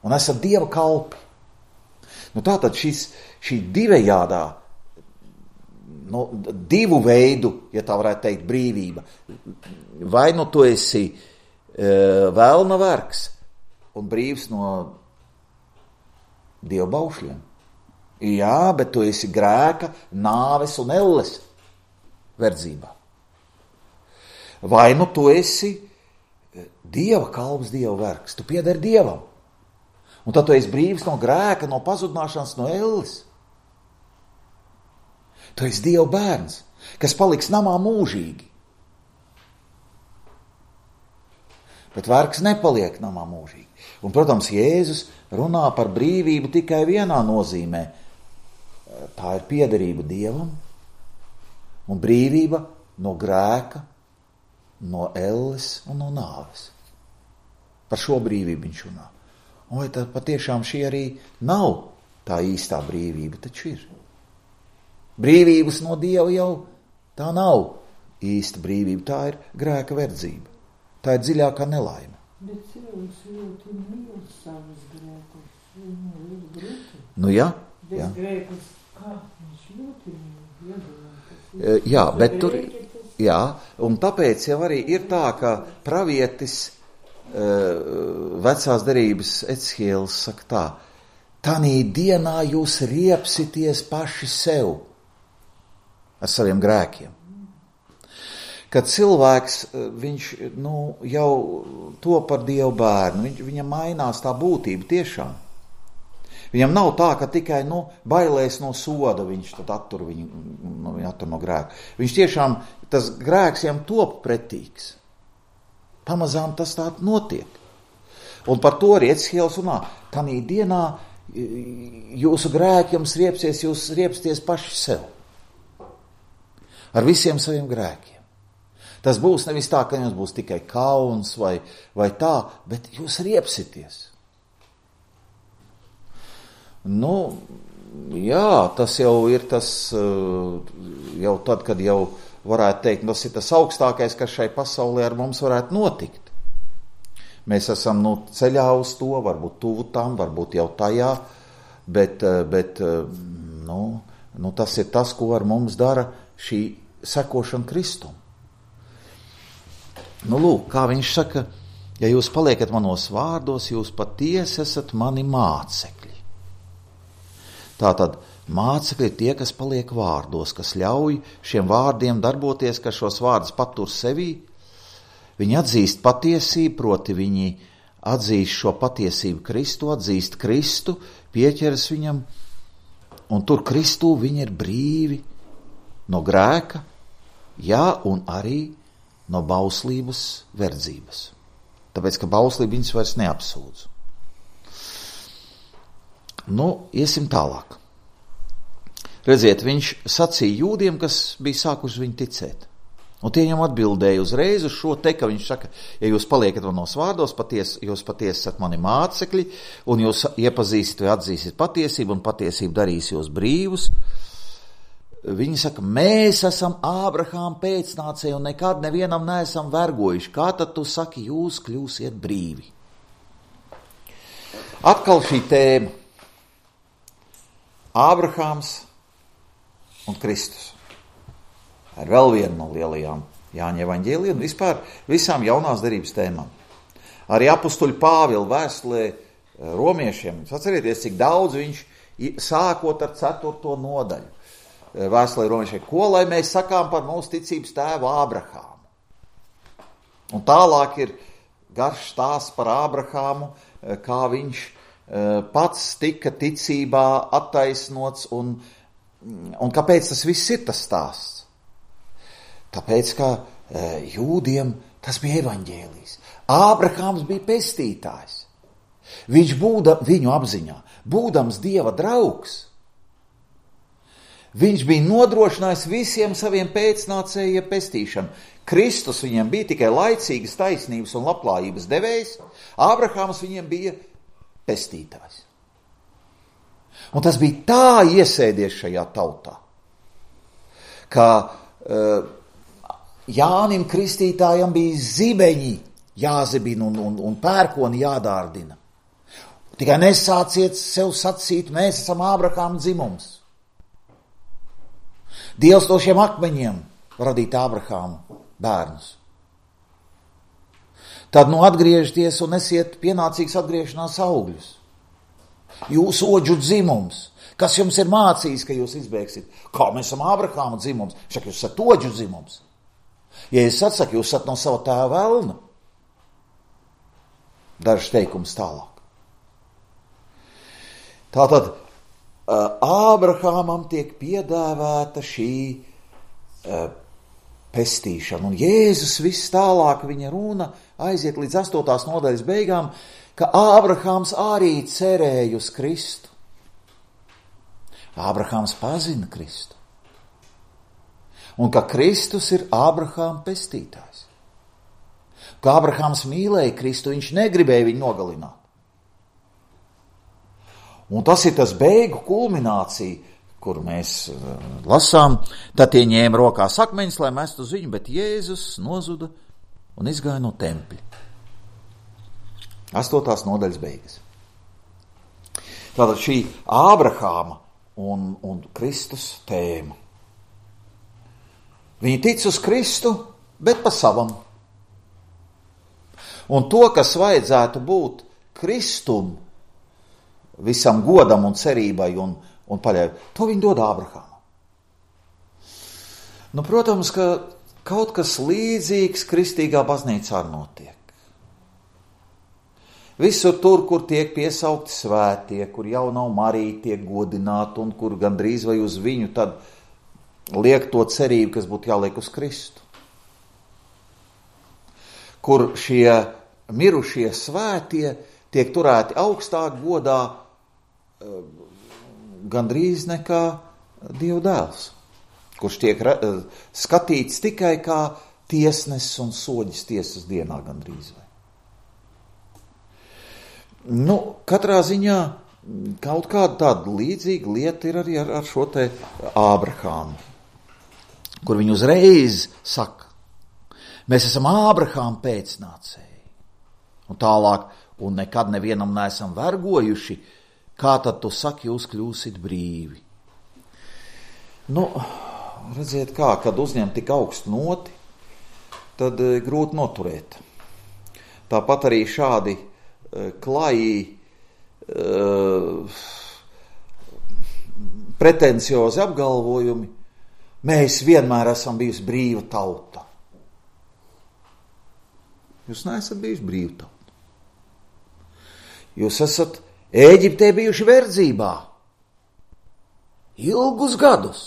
un esat Dieva kalpi, tātad šī divējādā, divu veidu, ja tā varētu teikt, brīvība, vai tu esi vēlna vergs un brīvs no Dieva baušļiem. Jā, bet tu esi grēka, nāves un elles verdzībā. Vai tu esi Dieva kalps, Dieva vergs, tu piedari Dievam. Un tad tu esi brīvs no grēka, no pazudināšanas, no elles. Tu esi Dieva bērns, kas paliks namā mūžīgi. Bet vergs nepaliek namā mūžīgi. Un, protams, Jēzus runā par brīvību tikai vienā nozīmē. Tā ir piederība Dievam un brīvība no grēka, no elles un no nāves. Par šo brīvību viņš runā. Un vai tad patiešām šī arī nav tā īstā brīvība, taču ir. Brīvības no Dieva jau tā nav īsta brīvība, tā ir grēka verdzība. Tā ir dziļākā nelaime. Bet cilvēks ļoti mīl savus grēkus. Jā. Bez grēkus, kā viņš ļoti mīl. Jā, bet tur, jā, un tāpēc jau arī ir tā, ka pravietis vecās derības Ecihielis saka tā, tanī dienā jūs riepsities paši sev ar saviem grēkiem. Kad cilvēks, viņš jau to par Dievu bērnu, viņam mainās tā būtība tiešām. Viņam nav tā, ka tikai bailēs no soda viņš tad attur no grēka. Viņš tiešām, tas grēks viņam top pretīgs. Pamazām tas tā notiek. Un par to arī Ecihielis runā. Tanī dienā jūsu grēki jums riepsies, jūs riepsties paši sev. Ar visiem saviem grēkiem. Tas būs nevis tā, ka jums būs tikai kauns vai tā, bet jūs riepsities. Jā, tas jau ir tas, jau tad, kad jau varētu teikt, tas ir tas augstākais, kas šai pasaulē ar mums varētu notikt. Mēs esam ceļā uz to, varbūt tuvu tam, varbūt jau tajā, bet tas ir tas, ko ar mums dara šī sekošana Kristum. Lūk, kā viņš saka, ja jūs paliekat manos vārdos, jūs patiesi esat mani mācekļi. Tātad mācekļi ir tie, kas paliek vārdos, kas ļauj šiem vārdiem darboties, kas šos vārdus patur sevī. Viņi atzīst patiesību, proti viņi atzīst šo patiesību Kristu, atzīst Kristu, pieķeras viņam, un tur Kristū viņi ir brīvi no grēka, jā, un arī no bauslības verdzības. Tāpēc, ka bauslība viņus vairs neapsūdz. Iesim tālāk. Redziet, viņš sacīja jūdiem, kas bija sākuši viņu ticēt. Un tie viņam atbildēja uzreiz uz šo te, ka viņš saka, ja jūs paliekat manos vārdos, jūs patiesi esat mani mācekļi, un jūs iepazīsiet vai atzīsiet patiesību, un patiesību darīs jūs brīvus. Viņi saka, mēs esam Ābrahāma pēcnācēji un nekad nevienam neesam vergojuši. Kā tad tu saki, jūs kļūsiet brīvi? Atkal šī tēma. Ābrahāms un Kristus. Ir vēl viena no lielajām Jāņa evaņģēlija un vispār visām jaunās derības tēmām. Arī apustuļa Pāvila vēstulē romiešiem, atcerieties, cik daudz viņš sākot ar 4. nodaļu. Vēstulē romiešiem, ko lai mēs sakām par mūsu ticības tēvu Ābrahāmu. Un tālāk ir garš stāsts par Ābrahāmu, kā viņš pats tika ticībā attaisnots un kāpēc tas viss ir tas stāsts. Tāpēc, ka jūdiem tas bija evaņģēlijs. Ābrahāms bija pestītājs. Viņš viņu apziņā, būdams Dieva draugs, viņš bija nodrošinājis visiem saviem pēcnācējiem pestīšanu. Kristus viņiem bija tikai laicīgas taisnības un labklājības devējs, Ābrahāms viņiem bija pestītājs. Un tas bija tā iesēdies šajā tautā, ka Jānim Kristītājam bija zibeņi jāzibina un pērkoni jādārdina. Tikai nesāciet sev sacīt, mēs esam Ābrahāma dzimums. Dievs no šiem akmeņiem radīt Ābrahāmu bērnus. Tad atgriežties un esiet pienācīgs atgriešanās augļus. Jūs oģu dzimums, kas jums ir mācījis, ka jūs izbēgsit. Kā mēs esam Ābrahāma dzimums? Šak jūs esat oģu dzimums. Ja es atsaku, jūs esat no sava tēva velna. Dažs teikums tālāk. Tātad Ābrahāmam tiek piedāvāta šī pestīšana. Un Jēzus viss tālāk viņa runa aiziet līdz 8. nodaļas beigām, ka Ābrahāms arī cerēja uz Kristu. Ābrahāms pazina Kristu. Un ka Kristus ir Ābrahāma pestītājs. Ka Ābrahāms mīlēja Kristu, viņš negribēja viņu nogalināt. Un tas ir tas beigu kulminācija, kur mēs lasām, tad tie ņēma rokās akmeņus, lai mestu uz viņu, bet Jēzus nozuda un izgāja no tempļa. 8. nodaļas beigas. Tātad šī Ābrahāma un Kristus tēma. Viņi tic uz Kristu, bet pa savam. Un to, kas vajadzētu būt Kristum, visam godam un cerībai un paļauju, to viņi dod Ābrahāmam. Nu, protams, ka kaut kas līdzīgs kristīgā baznīcā notiek. Visur tur, kur tiek piesaukti svētie, kur jau nav Marija tiek godināta un kur gandrīz vai uz viņu tad liek to cerību, kas būtu jāliek uz Kristu. Kur šie mirušie svētie tiek turēti augstāk godā gandrīz nekā Dieva dēls, kurš tiek skatīts tikai kā tiesnesis un soģis tiesas dienā gandrīz vai. Nu, katrā ziņā kaut kāda tāda līdzīga lieta ir arī ar šo te Ābrahāmu, kur viņi uzreiz saka, mēs esam Ābrahāma pēcnācēji. Un tālāk, un nekad nevienam neesam vergojuši, kā tad tu saki, jūs kļūsit brīvi? Nu, redziet kā, kad uzņem tik augstu noti, tad grūti noturēt. Tāpat arī šādi klajī, pretenciozi apgalvojumi, mēs vienmēr esam bijusi brīva tauta. Jūs neesat bijuši brīva tauta. Jūs esat Ēģiptē bijuši verdzībā ilgus gadus.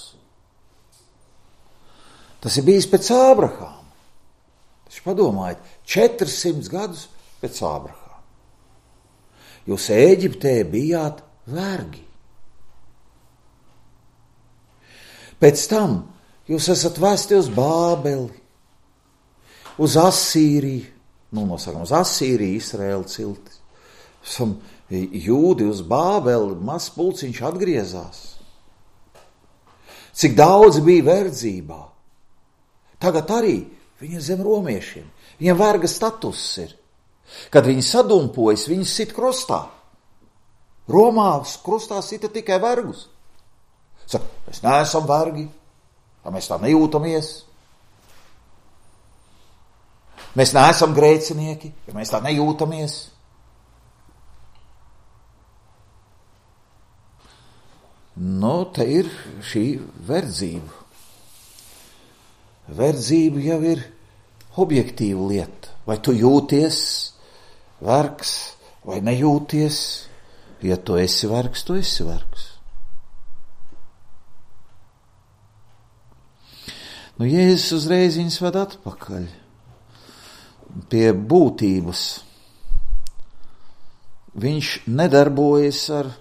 Tas ir bijis pēc Ābrahāma. Taču padomājiet, 400 gadus pēc Ābrahāma. Jūs Ēģiptē bijāt vergi. Pēc tam jūs esat vesti uz Bābeli, uz Asīriju, nosakam uz Asīriju, Izraēla ciltis. Esam jūdi uz Bābeli, mazs pulciņš atgriezās. Cik daudz bija verdzībā. Tagad arī viņi zem romiešiem. Viņiem verga status ir. Kad viņi sadumpojas, viņi sit krustā. Romā krustā sita tikai vergus. Saka, mēs neesam vergi, mēs tā nejūtamies. Mēs neesam grēcinieki, ja mēs tā nejūtamies. Nu, te ir šī verdzība. Verdzība jau ir objektīva lieta. Vai tu jūties vergs vai nejūties? Ja tu esi vergs, tu esi vergs. Jēzus uzreiz viņus ved atpakaļ pie būtības. Viņš nedarbojas ar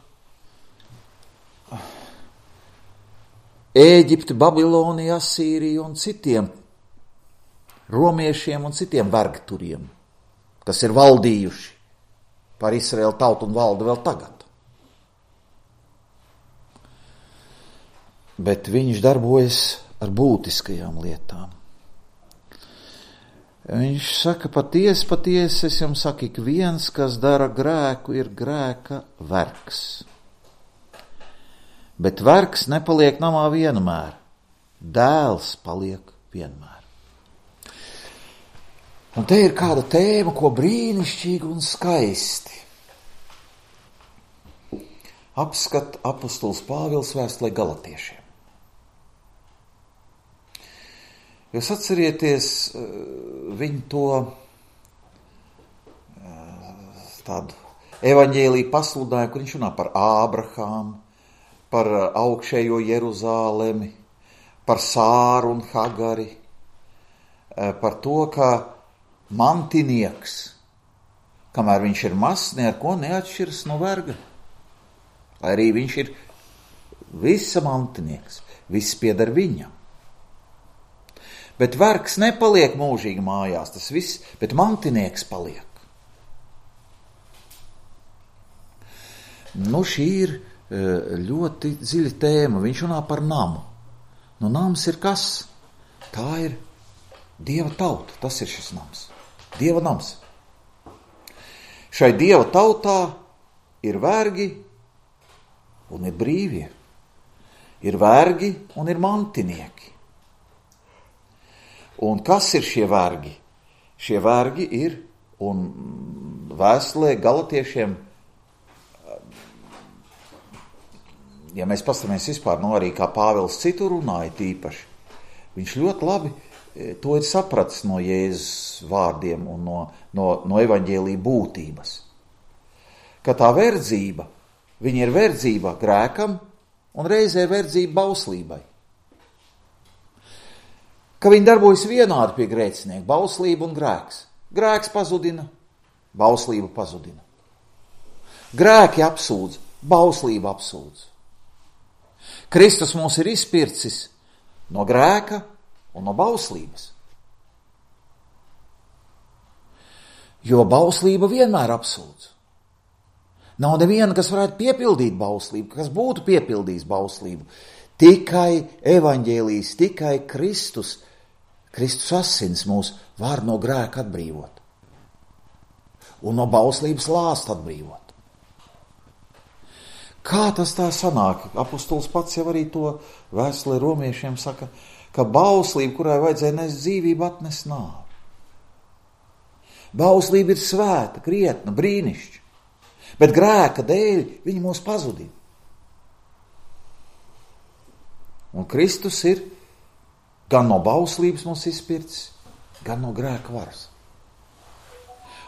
Ēģipti, Babiloniju, Asīriju un citiem romiešiem un citiem vergturiem, kas ir valdījuši par Izraēlu tautu un valda vēl tagad. Bet viņš darbojas ar būtiskajām lietām. Viņš saka, patiesi, es jums saku, ik viens, kas dara grēku, ir grēka vergs. Bet vergs nepaliek namā vienmēr, dēls paliek vienmēr. Un te ir kāda tēma, ko brīnišķīgi un skaisti apskata apostols Pāvils vēstulē Galatiešiem. Jūs atcerieties viņu to tādu evaņģēliju pasludinājumu, kur viņš runā par Ābrahāmu, par augšējo Jeruzālemi, par Sāru un Hagari, par to, ka mantinieks, kamēr viņš ir mazs, ne ar ko neatšķiras no verga. Lai arī viņš ir visa mantinieks, viss pieder viņam. Bet vergs nepaliek mūžīgi mājās, tas viss, bet mantinieks paliek. Šī ir ļoti dziļa tēma. Viņš runā par namu. Nams ir kas? Tā ir Dieva tauta. Tas ir šis nams. Dieva nams. Šai Dieva tautā ir vergi un ir brīvie. Ir vergi un ir mantinieki. Un kas ir šie vergi? Šie vergi ir, un vēstulē Galatiešiem, ja mēs paskatāmies vispār, arī kā Pāvils citur runāja tīpaši, viņš ļoti labi to ir sapratis no Jēzus vārdiem un no evaņģēlija būtības. Ka tā verdzība, viņa ir verdzība grēkam un reizē verdzība bauslībai. Ka viņi darbojas vienādi pie grēcinieku, bauslība un grēks. Grēks pazudina, bauslība pazudina. Grēki apsūdz, bauslība apsūdz. Kristus mūs ir izpircis no grēka un no bauslības. Jo bauslība vienmēr apsūdz. Nav neviena, kas varētu piepildīt bauslību, kas būtu piepildījis bauslību. Tikai evaņģēlijs, tikai Kristus asins mūs var no grēka atbrīvot. Un no bauslības lāsta atbrīvot. Kā tas tā sanāk? Apostols pats jau arī to vēstulē romiešiem saka, ka bauslība, kurai vajadzēja nest dzīvību, atnes nāvi. Bauslība ir svēta, krietna, brīnišķa, bet grēka dēļ viņa mūs pazudina. Un Kristus ir gan no bauslības mūs izpircis, gan no grēka varas.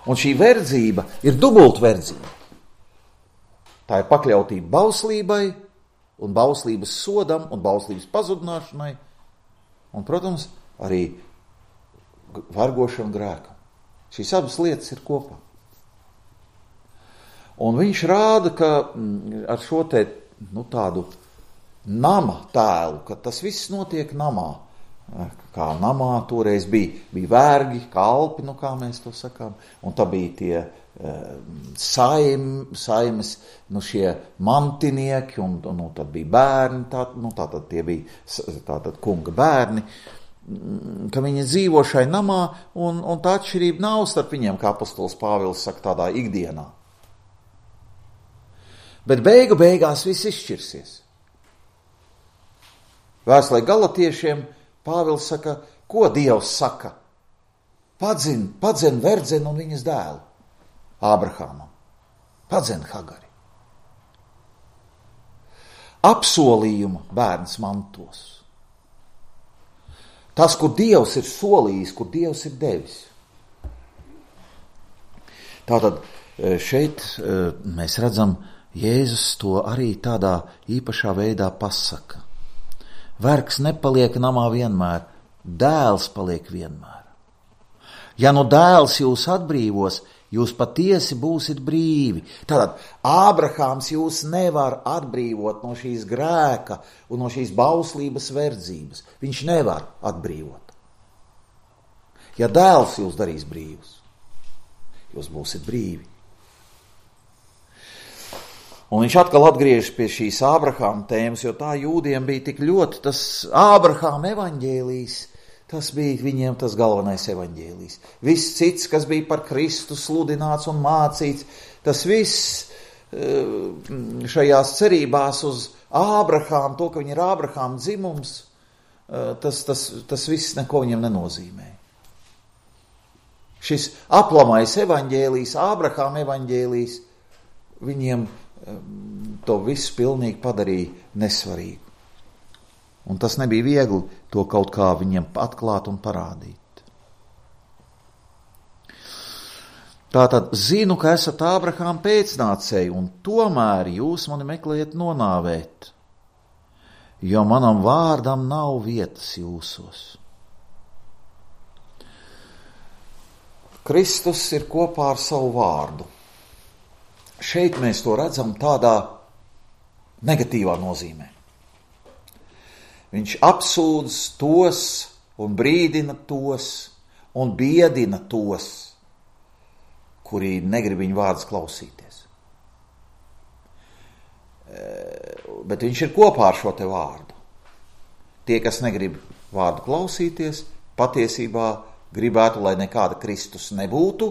Un šī verdzība ir dubult verdzība. Tā ir pakļautība bauslībai un bauslības sodam un bauslības pazudināšanai un, protams, arī vergošana grēkam. Šīs abas lietas ir kopā. Un viņš rāda, ka ar šo te tādu nama tēlu, ka tas viss notiek namā. Kā namā toreiz bija vergi, kalpi, kā mēs to sakām, un tā bija tie saimes, šie mantinieki, un tad bija bērni, tātad tie bija kunga bērni, ka viņi dzīvo šai namā, un tā atšķirība nav starp viņiem, kā apostols Pāvils saka, tādā ikdienā. Bet beigās viss izšķirsies. Vēstulē Galatiešiem Pāvils saka, ko Dievs saka? Padzen verdzenu un viņas dēlu, Ābrahāmam. Padzen Hagari. Apsolījuma bērns mantos. Tas, kur Dievs ir solījis, kur Dievs ir devis. Tātad šeit mēs redzam, Jēzus to arī tādā īpašā veidā pasaka. Vergs nepaliek namā vienmēr, Dēls paliek vienmēr. Ja nu dēls jūs atbrīvos, jūs patiesi būsit brīvi. Tātad Ābrahāms jūs nevar atbrīvot no šīs grēka un no šīs bauslības verdzības. Viņš nevar atbrīvot. Ja dēls jūs darīs brīvus, jūs būsit brīvi. Un viņš atkal atgriežas pie šīs Ābrahāma tēmas, jo tā jūdiem bija tik ļoti tas Ābrahāma evaņģēlijs, tas bija viņiem tas galvenais evaņģēlijs. Viss cits, kas bija par Kristu sludināts un mācīts, tas viss šajās cerībās uz Ābrahāmu, to, ka viņi ir Ābrahāma dzimums, tas viss neko viņiem nenozīmē. Šis aplamais evaņģēlijs, Ābrahāma evaņģēlijs, viņiem to visu pilnīgi padarīja nesvarīgu. Un tas nebija viegli to kaut kā viņiem atklāt un parādīt. Tātad zinu, ka esat Ābrahāma pēcnācēji, un tomēr jūs mani meklējat nonāvēt, jo manam vārdam nav vietas jūsos. Kristus ir kopā ar savu vārdu. Šeit mēs to redzam tādā negatīvā nozīmē. Viņš apsūdz tos un brīdina tos un biedina tos, kuri negrib viņu vārdus klausīties. Bet viņš ir kopā ar šo te vārdu. Tie, kas negrib vārdu klausīties, patiesībā gribētu, lai nekāda Kristus nebūtu,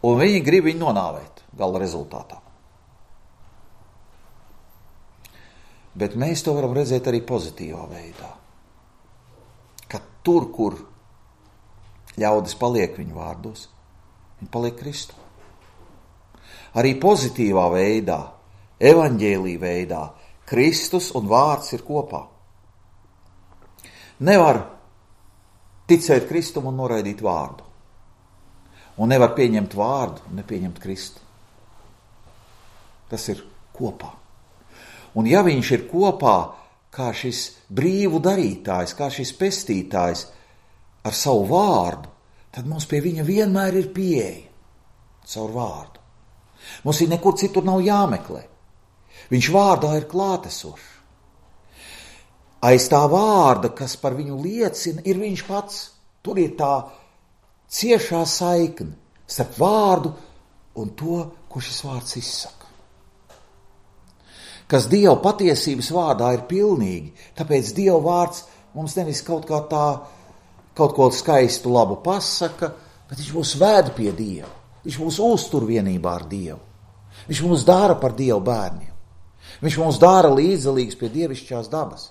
un viņi grib viņu nonāvēt gala rezultātā. Bet mēs to varam redzēt arī pozitīvā veidā. Ka tur, kur ļaudis paliek viņu vārdos, viņi paliek Kristu. Arī pozitīvā veidā, evaņģēlī veidā, Kristus un vārds ir kopā. Nevar ticēt Kristum un noraidīt vārdu. Un nevar pieņemt vārdu un nepieņemt Kristu. Tas ir kopā. Un ja viņš ir kopā kā šis brīvu darītājs, kā šis pestītājs ar savu vārdu, tad mums pie viņa vienmēr ir pieeja caur vārdu. Mums ir nekur citur nav jāmeklē. Viņš vārdā ir klātesošs. Aiz tā vārda, kas par viņu liecina, ir viņš pats. Tur ir tā ciešā saikne starp vārdu un to, ko šis vārds izsaka. Kas Dieva patiesības vārdā ir pilnīgi, tāpēc Dieva vārds mums nevis kaut ko skaistu labu pasaka, bet viņš mūs ved pie Dieva. Viņš mūs uztur vienībā ar Dievu. Viņš mūs dara par Dieva bērniem. Viņš mūs dara līdzdalīgus pie dievišķās dabas.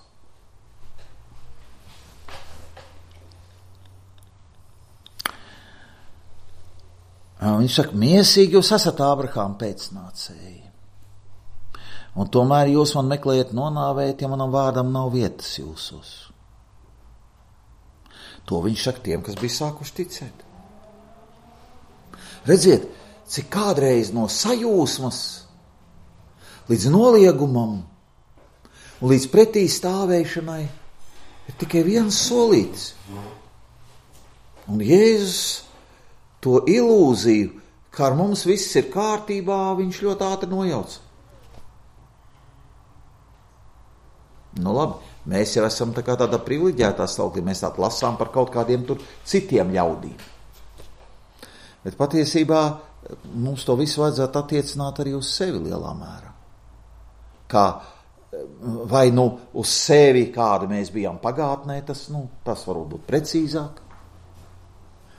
Viņš saka, miesīgi jūs esat Ābrahāma pēcnācēji. Un tomēr jūs man meklējat nonāvēt, ja manam vārdam nav vietas jūsos. To viņš saka tiem, kas bija sākuši ticēt. Redziet, cik kādreiz no sajūsmas līdz noliegumam un līdz pretī stāvēšanai ir tikai viens solītis. Un Jēzus to ilūziju, ka ar mums viss ir kārtībā, viņš ļoti ātri nojauca. Nu labi, mēs jau esam tādā privileģētā stāvoklī, mēs tādu lasām par kaut kādiem tur citiem ļaudīm. Bet patiesībā mums to visu vajadzētu attiecināt arī uz sevi lielā mērā. Kā vai uz sevi, kāda mēs bijām pagātnē, tas varbūt būt precīzāk.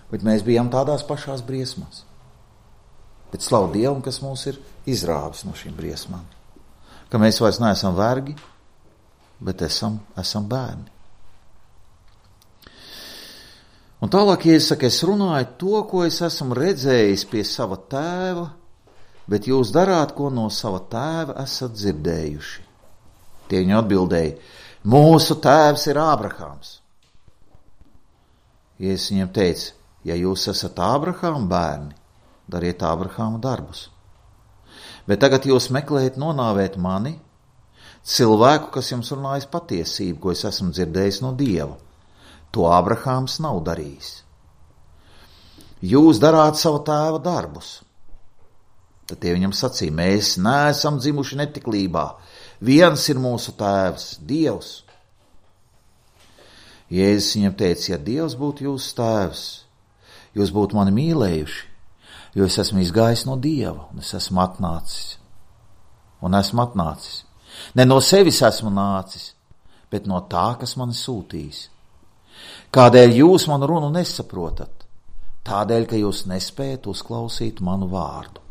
Bet mēs bijām tādās pašās briesmās. Bet slavu Dievam, kas mūs ir izrāvis no šīm briesmām. Ka mēs vairs neesam vergi, bet esam bērni. Un tālāk, ja es saku, es runāju to, ko es esmu redzējis pie sava tēva, bet jūs darāt, ko no sava tēva esat dzirdējuši. Tie viņu atbildēja, mūsu tēvs ir Ābrahāms. Ja es viņiem teicu, ja jūs esat Ābrahāma bērni, dariet Ābrahāma darbus. Bet tagad jūs meklējat nonāvēt mani, cilvēku, kas jums runājas patiesību, ko es esmu dzirdējis no Dieva. To Ābrahāms nav darījis. Jūs darāt savu tēva darbus. Tad tie viņam sacīja, mēs neesam dzimuši netiklībā. Viens ir mūsu tēvs, Dievs. Jēzus viņam teica, ja Dievs būtu jūsu tēvs, jūs būtu mani mīlējuši, jo es esmu izgājis no Dieva, un es esmu atnācis. Ne no sevis esmu nācis, bet no tā, kas mani sūtījis. Kādēļ jūs manu runu nesaprotat? Tādēļ, ka jūs nespējat uzklausīt manu vārdu.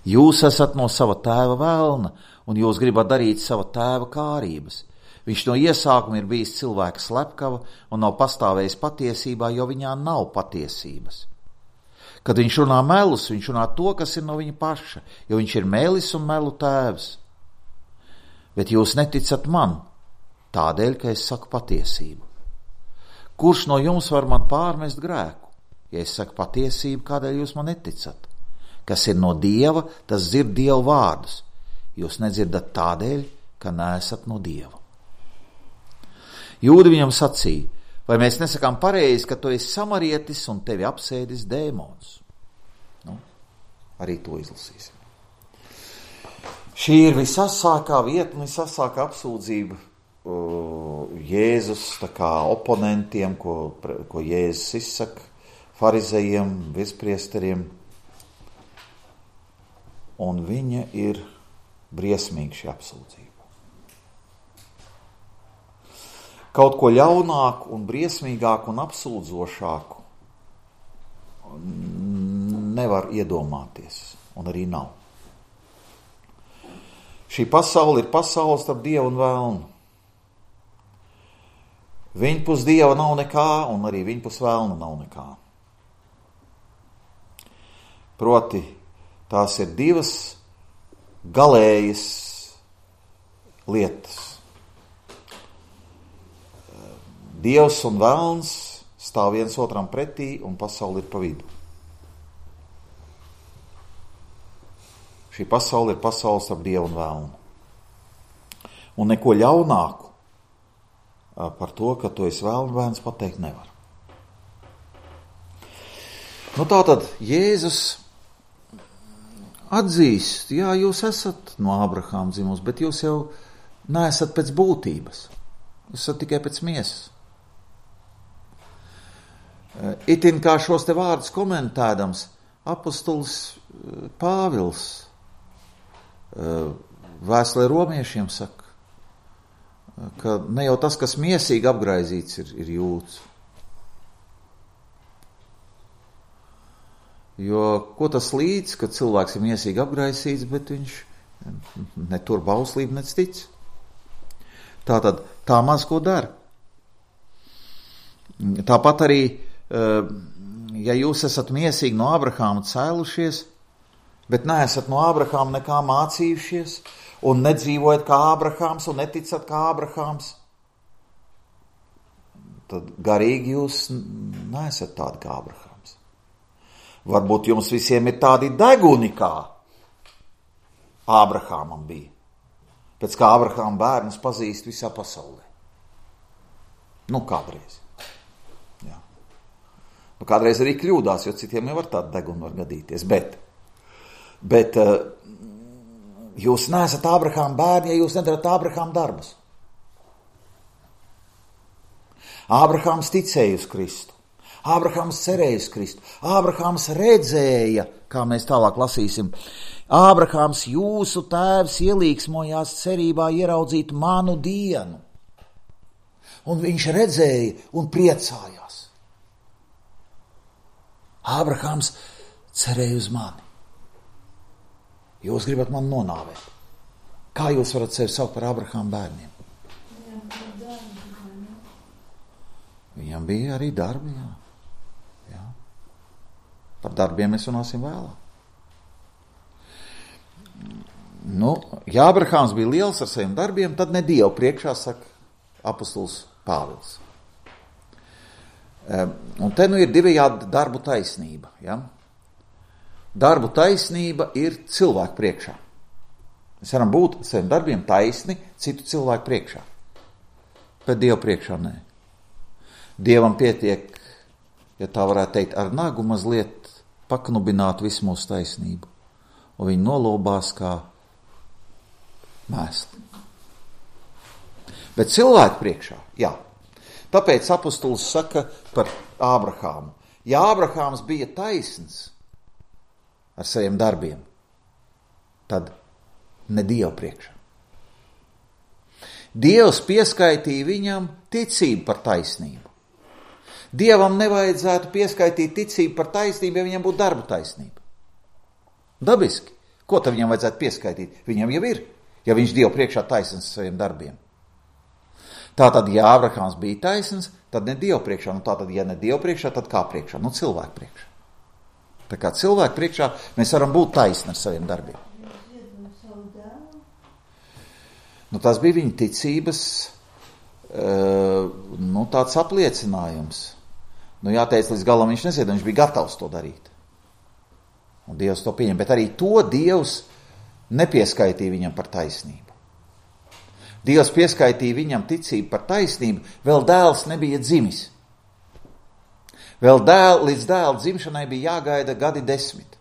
Jūs esat no sava tēva velna, un jūs gribat darīt sava tēva kārības. Viņš no iesākuma ir bijis cilvēka slepkava un nav pastāvējis patiesībā, jo viņā nav patiesības. Kad viņš runā melus, viņš runā to, kas ir no viņa paša, jo viņš ir melis un melu tēvs. Bet jūs neticat man, tādēļ, ka es saku patiesību. Kurš no jums var man pārmest grēku? Ja es saku patiesību, kādēļ jūs man neticat? Kas ir no Dieva, tas dzird Dieva vārdus. Jūs nedzirdat tādēļ, ka neesat no Dieva. Jūdi viņam sacīja, vai mēs nesakām pareizi, ka tu esi samarietis un tevi apsēdis dēmons? Arī to izlasīsim. Šī ir visasākā vieta un visasākā apsūdzība Jēzus tā kā oponentiem, ko Jēzus izsaka farizejiem, virspriesteriem. Un viņa ir briesmīga šī apsūdzība. Kaut ko ļaunāku un briesmīgāku un apsūdzošāku nevar iedomāties, un arī nav. Šī pasaule ir pasaule starp Dievu un vēlnu. Viņpus Dieva nav nekā, un arī viņpus vēlna nav nekā. Proti, tās ir divas galējas lietas. Dievs un vēlns stāv viens otram pretī, un pasaule ir pa vidu. Šī pasaule ir pasaule starp Dievu un vēlnu. Un neko ļaunāku par to, ka tu esi vēlna bērns, pateikt nevar. Tātad Jēzus atzīst, jā, jūs esat no Ābrahāma dzimusi, bet jūs jau neesat pēc būtības. Jūs esat tikai pēc miesas. Itin kā šos te vārdus komentēdams, apostols Pāvils vēstulē romiešiem saka, ka ne jau tas, kas miesīgi apgraizīts, ir jūds. Jo ko tas līdz, kad cilvēks ir miesīgi apgraisīts, bet viņš netur bauslību, nec tic. Tātad tā maz ko dara. Tāpat arī, ja jūs esat miesīgi no Ābrahāma cēlušies, bet neesat no Ābrahāma nekā mācījušies, un nedzīvojat kā Ābrahāms, un neticat kā Ābrahāms, tad garīgi jūs neesat tādi kā Ābrahāms. Varbūt jums visiem ir tādi deguni, kā Ābrahāmam bija. Pēc kā Ābrahāma bērnus pazīst visā pasaulē. Kādreiz. Jā. Kādreiz arī kļūdās, jo citiem jau var tāda deguna var gadīties. Bet jūs neesat Ābrahāma bērni, ja jūs nedarat Ābrahāma darbus. Ābrahāms ticēja uz Kristu. Ābrahāms cerēja uz Kristu. Ābrahāms redzēja, kā mēs tālāk lasīsim, Ābrahāms jūsu tēvs ielīgsmojās cerībā ieraudzīt manu dienu. Un viņš redzēja un priecājās. Ābrahāms cerēja uz mani. Jūs gribat mani nonāvēt. Kā jūs varat sevi saukt par Ābrahāma bērniem? Viņam bija arī darbi, jā. Par darbiem mēs runāsim vēlāk. Ja Ābrahāms bija liels ar saviem darbiem, tad ne Dievu priekšā, saka apostols Pāvils. Un te ir divējādi darbu taisnība. Ja? Darbu taisnība ir cilvēku priekšā. Mēs varam būt saviem darbiem taisni citu cilvēku priekšā. Bet Dievu priekšā nē. Dievam pietiek, ja tā varētu teikt, ar nagu mazliet paknubināt visu mūsu taisnību. Un viņi nolobās kā mēsli. Bet cilvēku priekšā, jā. Tāpēc apostols saka par Ābrahāmu. Ja Ābrahāms bija taisns ar saviem darbiem, tad ne Dievu priekšā. Dievs pieskaitīja viņam ticību par taisnību. Dievam nevajadzētu pieskaitīt ticību par taisnību, ja viņam būtu darba taisnība. Dabiski. Ko tad viņam vajadzētu pieskaitīt? Viņam jau ir, ja viņš Dievu priekšā taisns ar saviem darbiem. Tātad, ja Ābrahāms bija taisns, tad ne Dievu priekšā. Tātad, ja ne Dievu priekšā, tad kā priekšā? Cilvēku priekšā. Tā kā cilvēku priekšā mēs varam būt taisni ar saviem darbiem. Tas bija viņa ticības tāds apliecinājums. Jāteic, līdz galam viņš neziedoja, viņš bija gatavs to darīt. Un Dievs to pieņem, bet arī to Dievs nepieskaitīja viņam par taisnību. Dievs pieskaitīja viņam ticību par taisnību, vēl dēls nebija dzimis. Līdz dēla dzimšanai bija jāgaida gadi 10.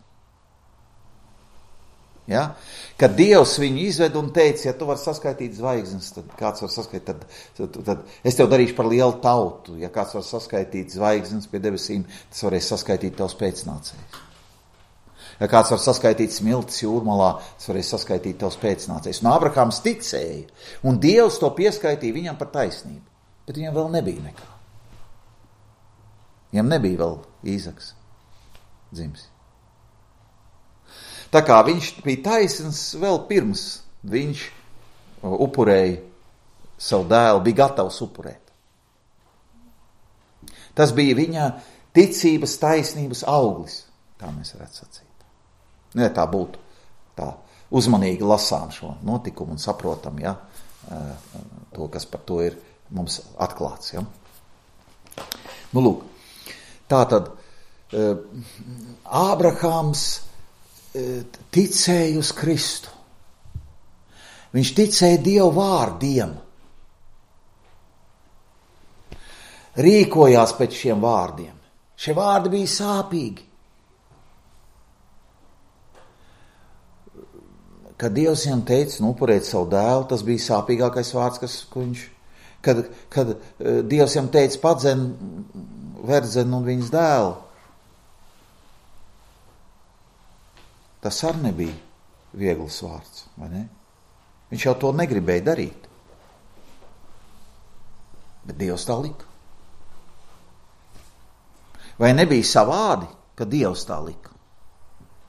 Ja? Kad Dievs viņu izved un teica, ja tu vari saskaitīt zvaigznes, tad kāds var saskaitīt, tad es tev darīšu par lielu tautu. Ja kāds var saskaitīt zvaigznes pie debesīm, tas varēs saskaitīt tavs pēcnācējs. Ja kāds var saskaitīt smiltis jūrmalā, tas varēs saskaitīt tavs pēcnācējs. Un Ābrahāms ticēja, un Dievs to pieskaitīja viņam par taisnību. Bet viņam vēl nebija nekā. Viņam nebija vēl Īzaks dzimis. Tā kā viņš bija taisns vēl pirms viņš upurēja savu dēlu, bija gatavs upurēt. Tas bija viņa ticības taisnības auglis, tā mēs varētu sacīt. Ja tā būtu, tā uzmanīgi lasām šo notikumu un saprotam, ja, to, kas par to ir mums atklāts. Ja. Lūk, tātad Ābrahāms ticēja uz Kristu. Viņš ticēja Dievu vārdiem. Rīkojās pēc šiem vārdiem. Šie vārdi bija sāpīgi. Kad Dievs viņam teica, upurēt savu dēlu, tas bija sāpīgākais vārds, ko viņš... Kad Dievs viņam teica, padzen, verdzen un viņas dēlu, tas arī nebija viegls vārds, vai ne? Viņš jau to negribēja darīt. Bet Dievs tā lika. Vai nebija savādi, ka Dievs tā lika?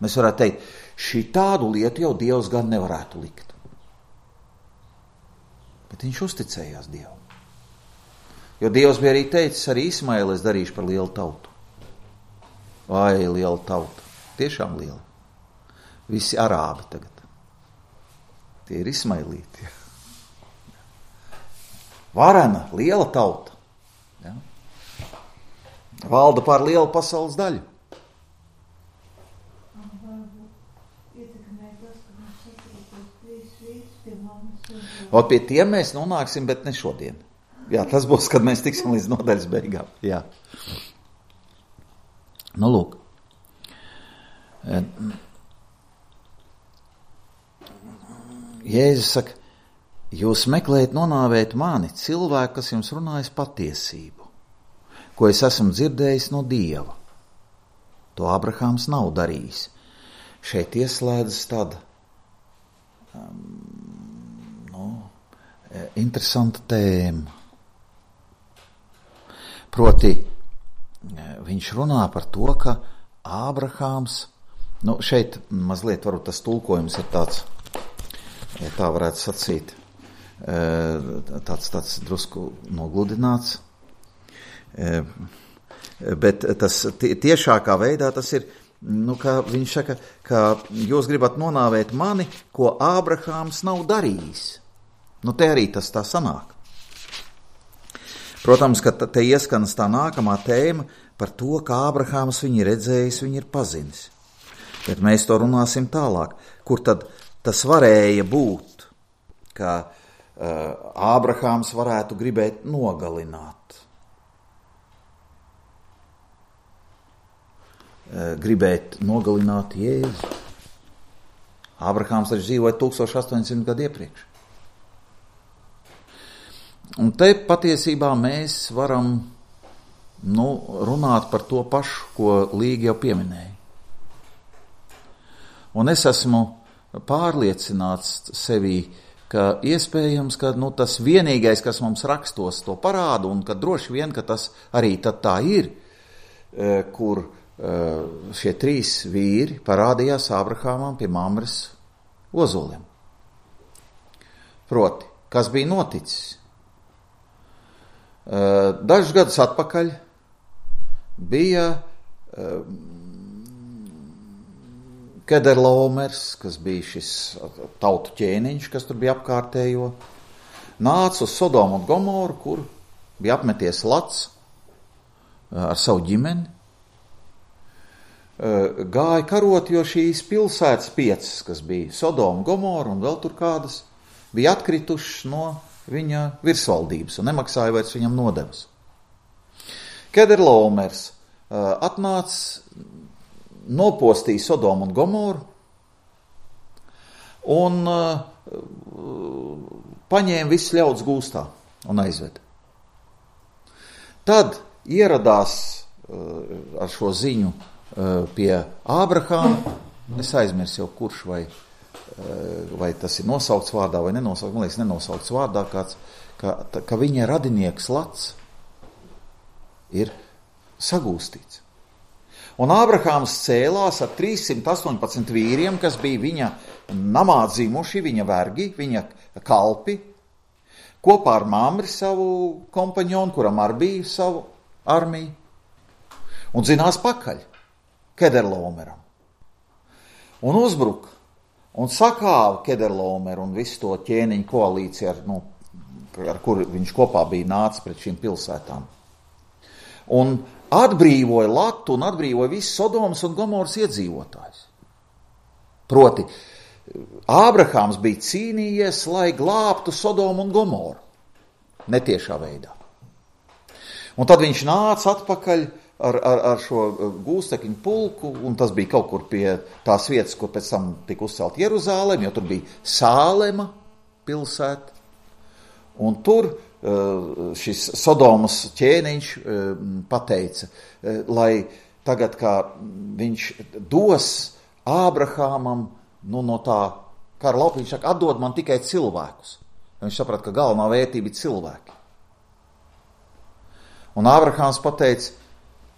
Mēs varētu teikt, šī tādu lietu jau Dievs gan nevarētu likt. Bet viņš uzticējās Dievam. Jo Dievs bija arī teicis, arī Ismailu es darīšu par lielu tautu. Vai, liela tauta. Tiešām liela. Visi arābi tagad. Tie ir ismailīti. Varena, liela tauta. Ja? Valda pār lielu pasaules daļu. Un pie tiem mēs nonāksim, bet ne šodien. Jā, tas būs, kad mēs tiksim līdz nodaļas beigām. Jā. Lūk. Jēzus saka, jūs meklējat nonāvēt mani, cilvēku, kas jums runājas patiesību, ko es esmu dzirdējis no Dieva. To Ābrahāms nav darījis. Šeit ieslēdzas tāda interesanta tēma. Proti, viņš runā par to, ka Ābrahāms, šeit mazliet varbūt tas tulkojums ir tāds, ja tā varētu sacīt, tāds drusku nogludināts, bet tas tiešākā veidā tas ir, ka viņš saka, ka jūs gribat nonāvēt mani, ko Ābrahāms nav darījis. Te arī tas tā sanāk. Protams, ka te ieskanas tā nākamā tēma par to, ka Ābrahāms viņu ir redzējis, viņu ir pazinis. Bet mēs to runāsim tālāk. Kur tad tas varēja būt, ka Ābrahāms varētu gribēt nogalināt. Gribēt nogalināt Jēzu. Ābrahāms taču dzīvoja 1800 gadu iepriekš. Un te patiesībā mēs varam runāt par to pašu, ko Līga jau pieminēja. Un es esmu pārliecināts sevī, ka iespējams, ka tas vienīgais, kas mums rakstos to parāda, un ka droši vien, ka tas arī tad tā ir, kur šie 3 vīri parādījās Ābrahāmam pie Mamres ozoliem. Proti, kas bija noticis? Dažus gadus atpakaļ bija Kederlaomers, kas bija šis tautu ķēniņš, kas tur bija apkārtējo, nāca uz Sodomu un Gomoru, kur bija apmeties Lats ar savu ģimeni, gāja karot, jo šīs pilsētas 5, kas bija Sodoma, Gomora un vēl tur kādas, bija atkritušas no viņa virsvaldības un nemaksāja vairs viņam nodevas. Kederlaomers atnāca, nopostīja Sodomu un Gomoru un paņēma visus ļaudis gūstā un aizveda. Tad ieradās ar šo ziņu pie Ābrahāma, es aizmirsu jau kurš, vai tas ir nosaukts vārdā vai nenosaukts, man liekas nenosaukts vārdā kāds, ka viņa radinieks Lats ir sagūstīts. Un Ābrahāms cēlās ar 318 vīriem, kas bija viņa namā dzimuši, viņa vergi, viņa kalpi, kopā ar Mamri savu kompaņonu, kuram arī bija savu armiju, un dzinās pakaļ Kederlaomeram. Un uzbruka, un sakāva Kederlaomeru un visu to ķēniņu koalīciju, ar kuru viņš kopā bija nācis pret šīm pilsētām. Un atbrīvoja Latu un atbrīvoja visus Sodomas un Gomoras iedzīvotājus. Proti, Ābrahāms bija cīnījies, lai glābtu Sodomu un Gomoru. Netiešā veidā. Un tad viņš nāca atpakaļ ar šo gūstekņu pulku, un tas bija kaut kur pie tās vietas, kur pēc tam tika uzcelt Jeruzālem, jo tur bija Sālema pilsēta. Un tur šis Sodomas ķēniņš pateica, lai tagad, kā viņš dos Ābrahāmam, no tā kara lauka, viņš saka, atdod man tikai cilvēkus. Viņš saprata, ka galvenā vērtība ir cilvēki. Un Ābrahāms pateica,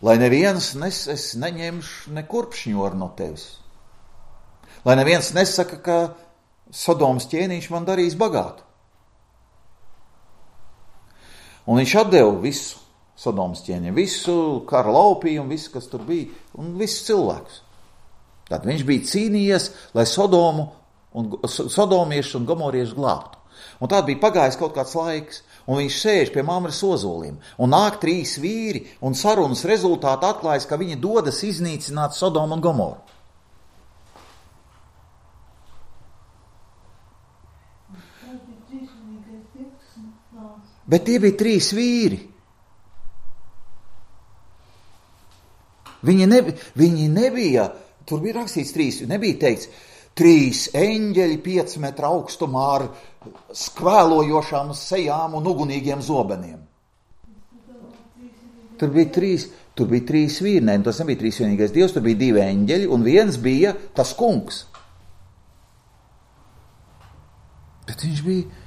lai neviens es neņemšu nekurpšņoru no tevis. Lai neviens nesaka, ka Sodomas ķēniņš man darīs bagātu. Un viņš atdeva visu Sodomas ķēniņu, visu kara laupījumu, visu, kas tur bija, un visus cilvēkus. Tad viņš bija cīnījies, lai sodomieši un gomorieši glābtu. Un tad bija pagājis kaut kāds laiks, un viņš sēž pie Mamres ozoliem, un nāk 3 vīri, un sarunas rezultātā atklājas, ka viņi dodas iznīcināt Sodomu un Gomoru. Bet tie bija 3 vīri. Viņi nebija, tur bija rakstīts 3, nebija teikts 3 eņģeļi 5 metru augstumā ar skvēlojošām sejām un ugunīgiem zobeniem. Tur bija 3 vīri, ne, tas nebija 3 vienīgais dievs, tur bija 2 eņģeļi un viens bija tas kungs. Bet viņš bija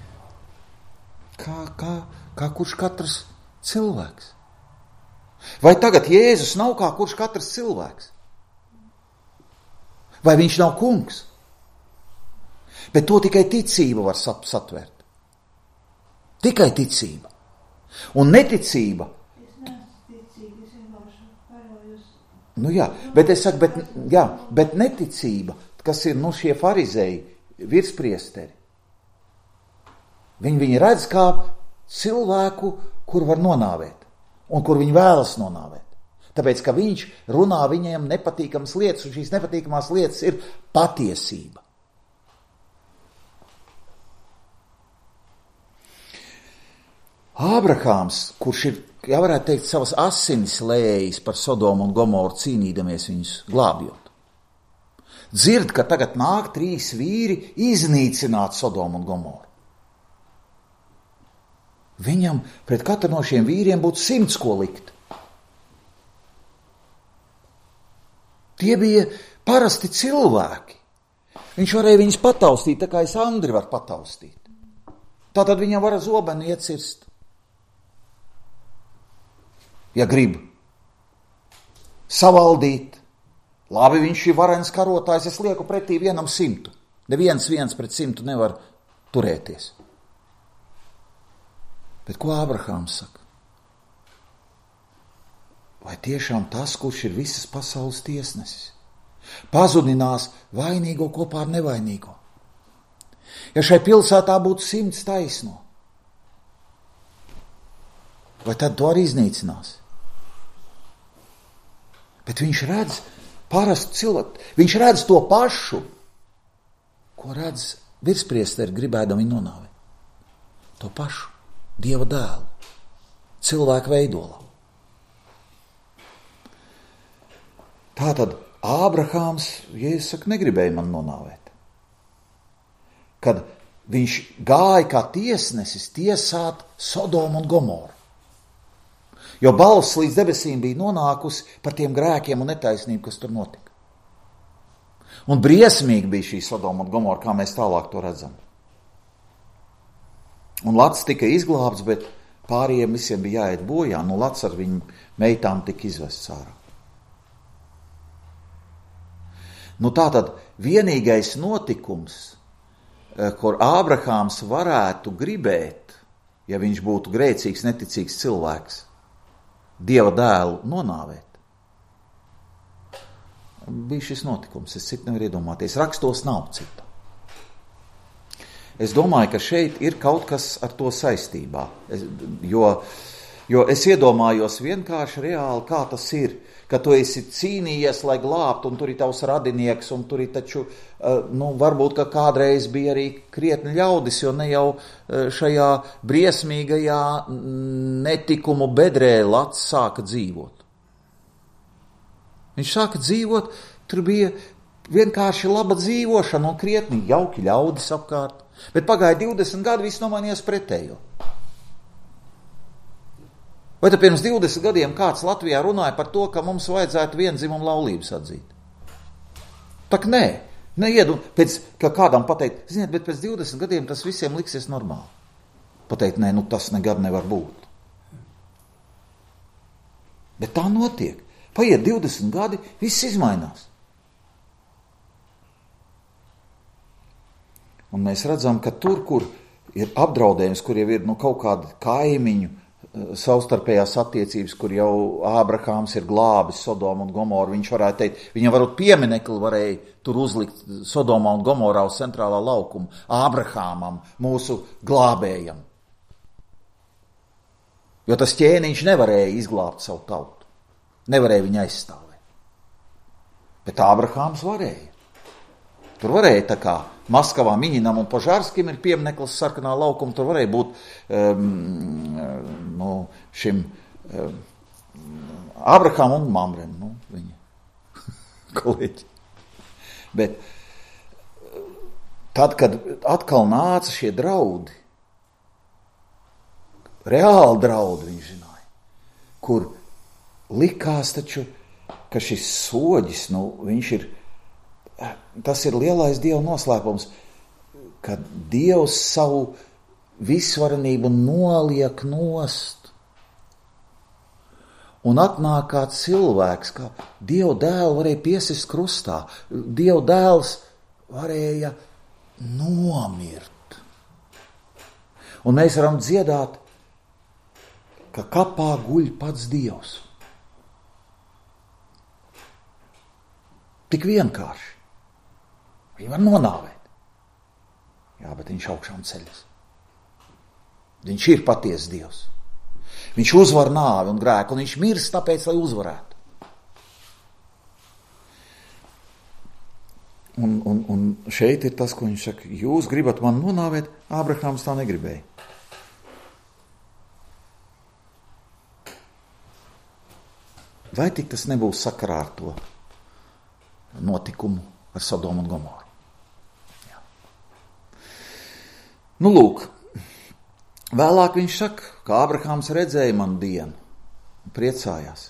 kā kurš katrs cilvēks. Vai tagad Jēzus nav kā kurš katrs cilvēks? Vai viņš nav kungs? Bet to tikai ticība var satvert. Tikai ticība. Un neticība. Nu jā, bet es saku, bet neticība, kas ir šie farizēji, virspriesteri. Viņi redz kā cilvēku, kur var nonāvēt, un kur viņi vēlas nonāvēt. Tāpēc, ka viņš runā viņiem nepatīkamas lietas, un šīs nepatīkamās lietas ir patiesība. Ābrahāms, kurš ir, ja varētu teikt, savas asinis lējis par Sodomu un Gomoru cīnīdamies viņus glābjot, dzird, ka tagad nāk 3 vīri iznīcināt Sodomu un Gomoru. Viņam pret katru no šiem vīriem būtu 100 ko likt. Tie bija parasti cilvēki. Viņš varēja viņus pataustīt, tā kā es Andri varu pataustīt. Tātad viņam var ar zobenu iecirst. Ja grib savaldīt, labi, viņš ir varens karotājs, es lieku pretī 100. Neviens pret 100 nevar turēties. Bet ko Ābrahāms saka? Vai tiešām tas, kurš ir visas pasaules tiesnesis, pazudinās vainīgo kopā ar nevainīgo? Ja šai pilsētā būtu 100 taisno, vai tad to arī iznīcinās? Bet viņš redz parastu cilvēku, viņš redz to pašu, ko redz virspriesteri gribēdam viņu nonāvēt. To pašu, Dieva dēlu, cilvēku veidolā. Tātad Ābrahāms, Jēzus saka, negribēja man nonāvēt. Kad viņš gāja kā tiesnesis tiesāt Sodomu un Gomoru. Jo balss līdz debesīm bija nonākusi par tiem grēkiem un netaisnību, kas tur notika. Un briesmīgi bija šī Sodoma un Gomora, kā mēs tālāk to redzam. Un Lats tika izglābts, bet pārējiem visiem bija jāiet bojā. Nu, Lats ar viņu meitām tika izvests ārā. Nu, tātad vienīgais notikums, kur Ābrahāms varētu gribēt, ja viņš būtu grēcīgs, neticīgs cilvēks, Dieva dēlu nonāvēt, bija šis notikums. Es citu nevaru iedomāties. Rakstos nav citu. Es domāju, ka šeit ir kaut kas ar to saistībā, jo es iedomājos vienkārši reāli, kā tas ir, ka tu esi cīnījies, lai glābtu, un tur ir tavs radinieks, un tur ir taču, varbūt, ka kādreiz bija arī krietni ļaudis, jo ne jau šajā briesmīgajā netikumu bedrē Lats sāka dzīvot. Viņš sāka dzīvot, tur bija vienkārši laba dzīvošana un krietni jauki ļaudis apkārt. Bet pagāja 20 gadi, viss nomainījās pretējo. Vai tad pirms 20 gadiem kāds Latvijā runāja par to, ka mums vajadzētu viendzimumu laulības atzīt? Tak nē, ka kādam pateikt, ziniet, bet pēc 20 gadiem tas visiem liksies normāli. Pateikt, nē, tas nekad nevar būt. Bet tā notiek. Paiet 20 gadi, viss izmainās. Un mēs redzam, ka tur, kur ir apdraudējums, kur jau ir kaut kādi kaimiņu savstarpējās attiecības, kur jau Ābrahāms ir glābis Sodomu un Gomoru, viņš varētu teikt, viņam varbūt pieminekli varēja tur uzlikt Sodomā un Gomorā uz centrālā laukuma Ābrahāmam, mūsu glābējam. Jo tas ķēniņš nevarēja izglābt savu tautu, nevarēja viņu aizstāvēt. Bet Ābrahāms varēja. Tur varēja tā kā Maskavā Miņinam un Požārskim ir piemineklis sarkanā laukuma, tur varēja būt šim Ābrahām un Mamrem, viņa kolēģi. Bet tad, kad atkal nāca šie draudi, reāli draudi viņš zināja, kur likās taču, ka šis soģis, viņš ir, tas ir lielais Dieva noslēpums, ka Dievs savu visvarenību noliek nost. Un atnāk kā cilvēks, kā Dieva dēlu varēja piesist krustā. Dieva dēls varēja nomirt. Un mēs varam dziedāt, ka kapā guļ pats Dievs. Tik vienkārši. Viņu var nonāvēt. Jā, bet viņš augšām ceļas. Viņš ir patiesa Dievs. Viņš uzvar nāvi un grēku, un viņš mirst tāpēc, lai uzvarētu. Un šeit ir tas, ko viņš saka, jūs gribat man nonāvēt, Ābrahāms tā negribēja. Vai tik tas nebūs sakarā ar to notikumu ar Sodomu un Gomoru? Jā. Nu, lūk, vēlāk viņš saka, ka Ābrahāms redzēja manu dienu un priecājās.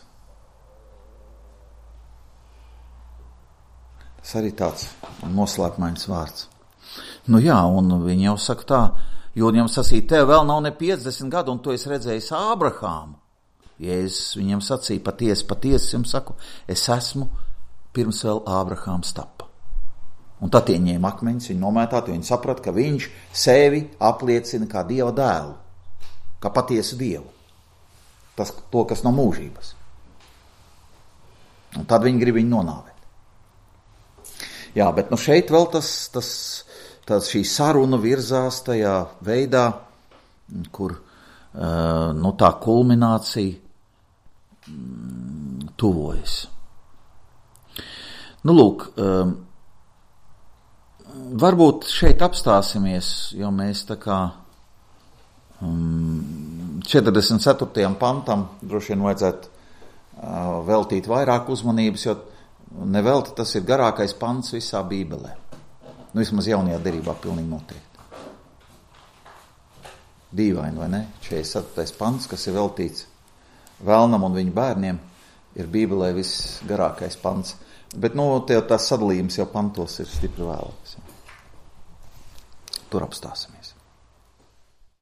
Tas arī tāds noslēpmains vārds. Nu jā, un viņi jau saka tā, jo viņam sacīja, tev vēl nav ne 50 gadu, un tu esi redzējis Ābrahāmu. Jēzus viņam sacīja, patiesi jums saku, es esmu pirms vēl Ābrahāms tapa. Un tad ieņēma akmeņus, viņi nomētāti, viņi saprata, ka viņš sevi apliecina kā Dieva dēlu, kā patiesu Dievu. To, kas no mūžības. Un tad viņi grib viņu nonāvēt. Jā, bet nu šeit vēl šī saruna virzās tajā veidā, kur nu, tā kulminācija tuvojas. Nu, lūk, varbūt šeit apstāsimies, jo mēs tā kā 44. pantam droši vien vajadzētu veltīt vairāk uzmanības, jo nevelti tas ir garākais pants visā Bībelē. Nu, vismaz jaunajā derībā pilnīgi noteikti. Dīvaini, vai ne? 44. pants, kas ir veltīts Velnam un viņa bērniem, ir Bībelē viss garākais pants. Bet, nu, tās sadalījums jau pantos ir stipri vēlāks. Tur apstāsimies.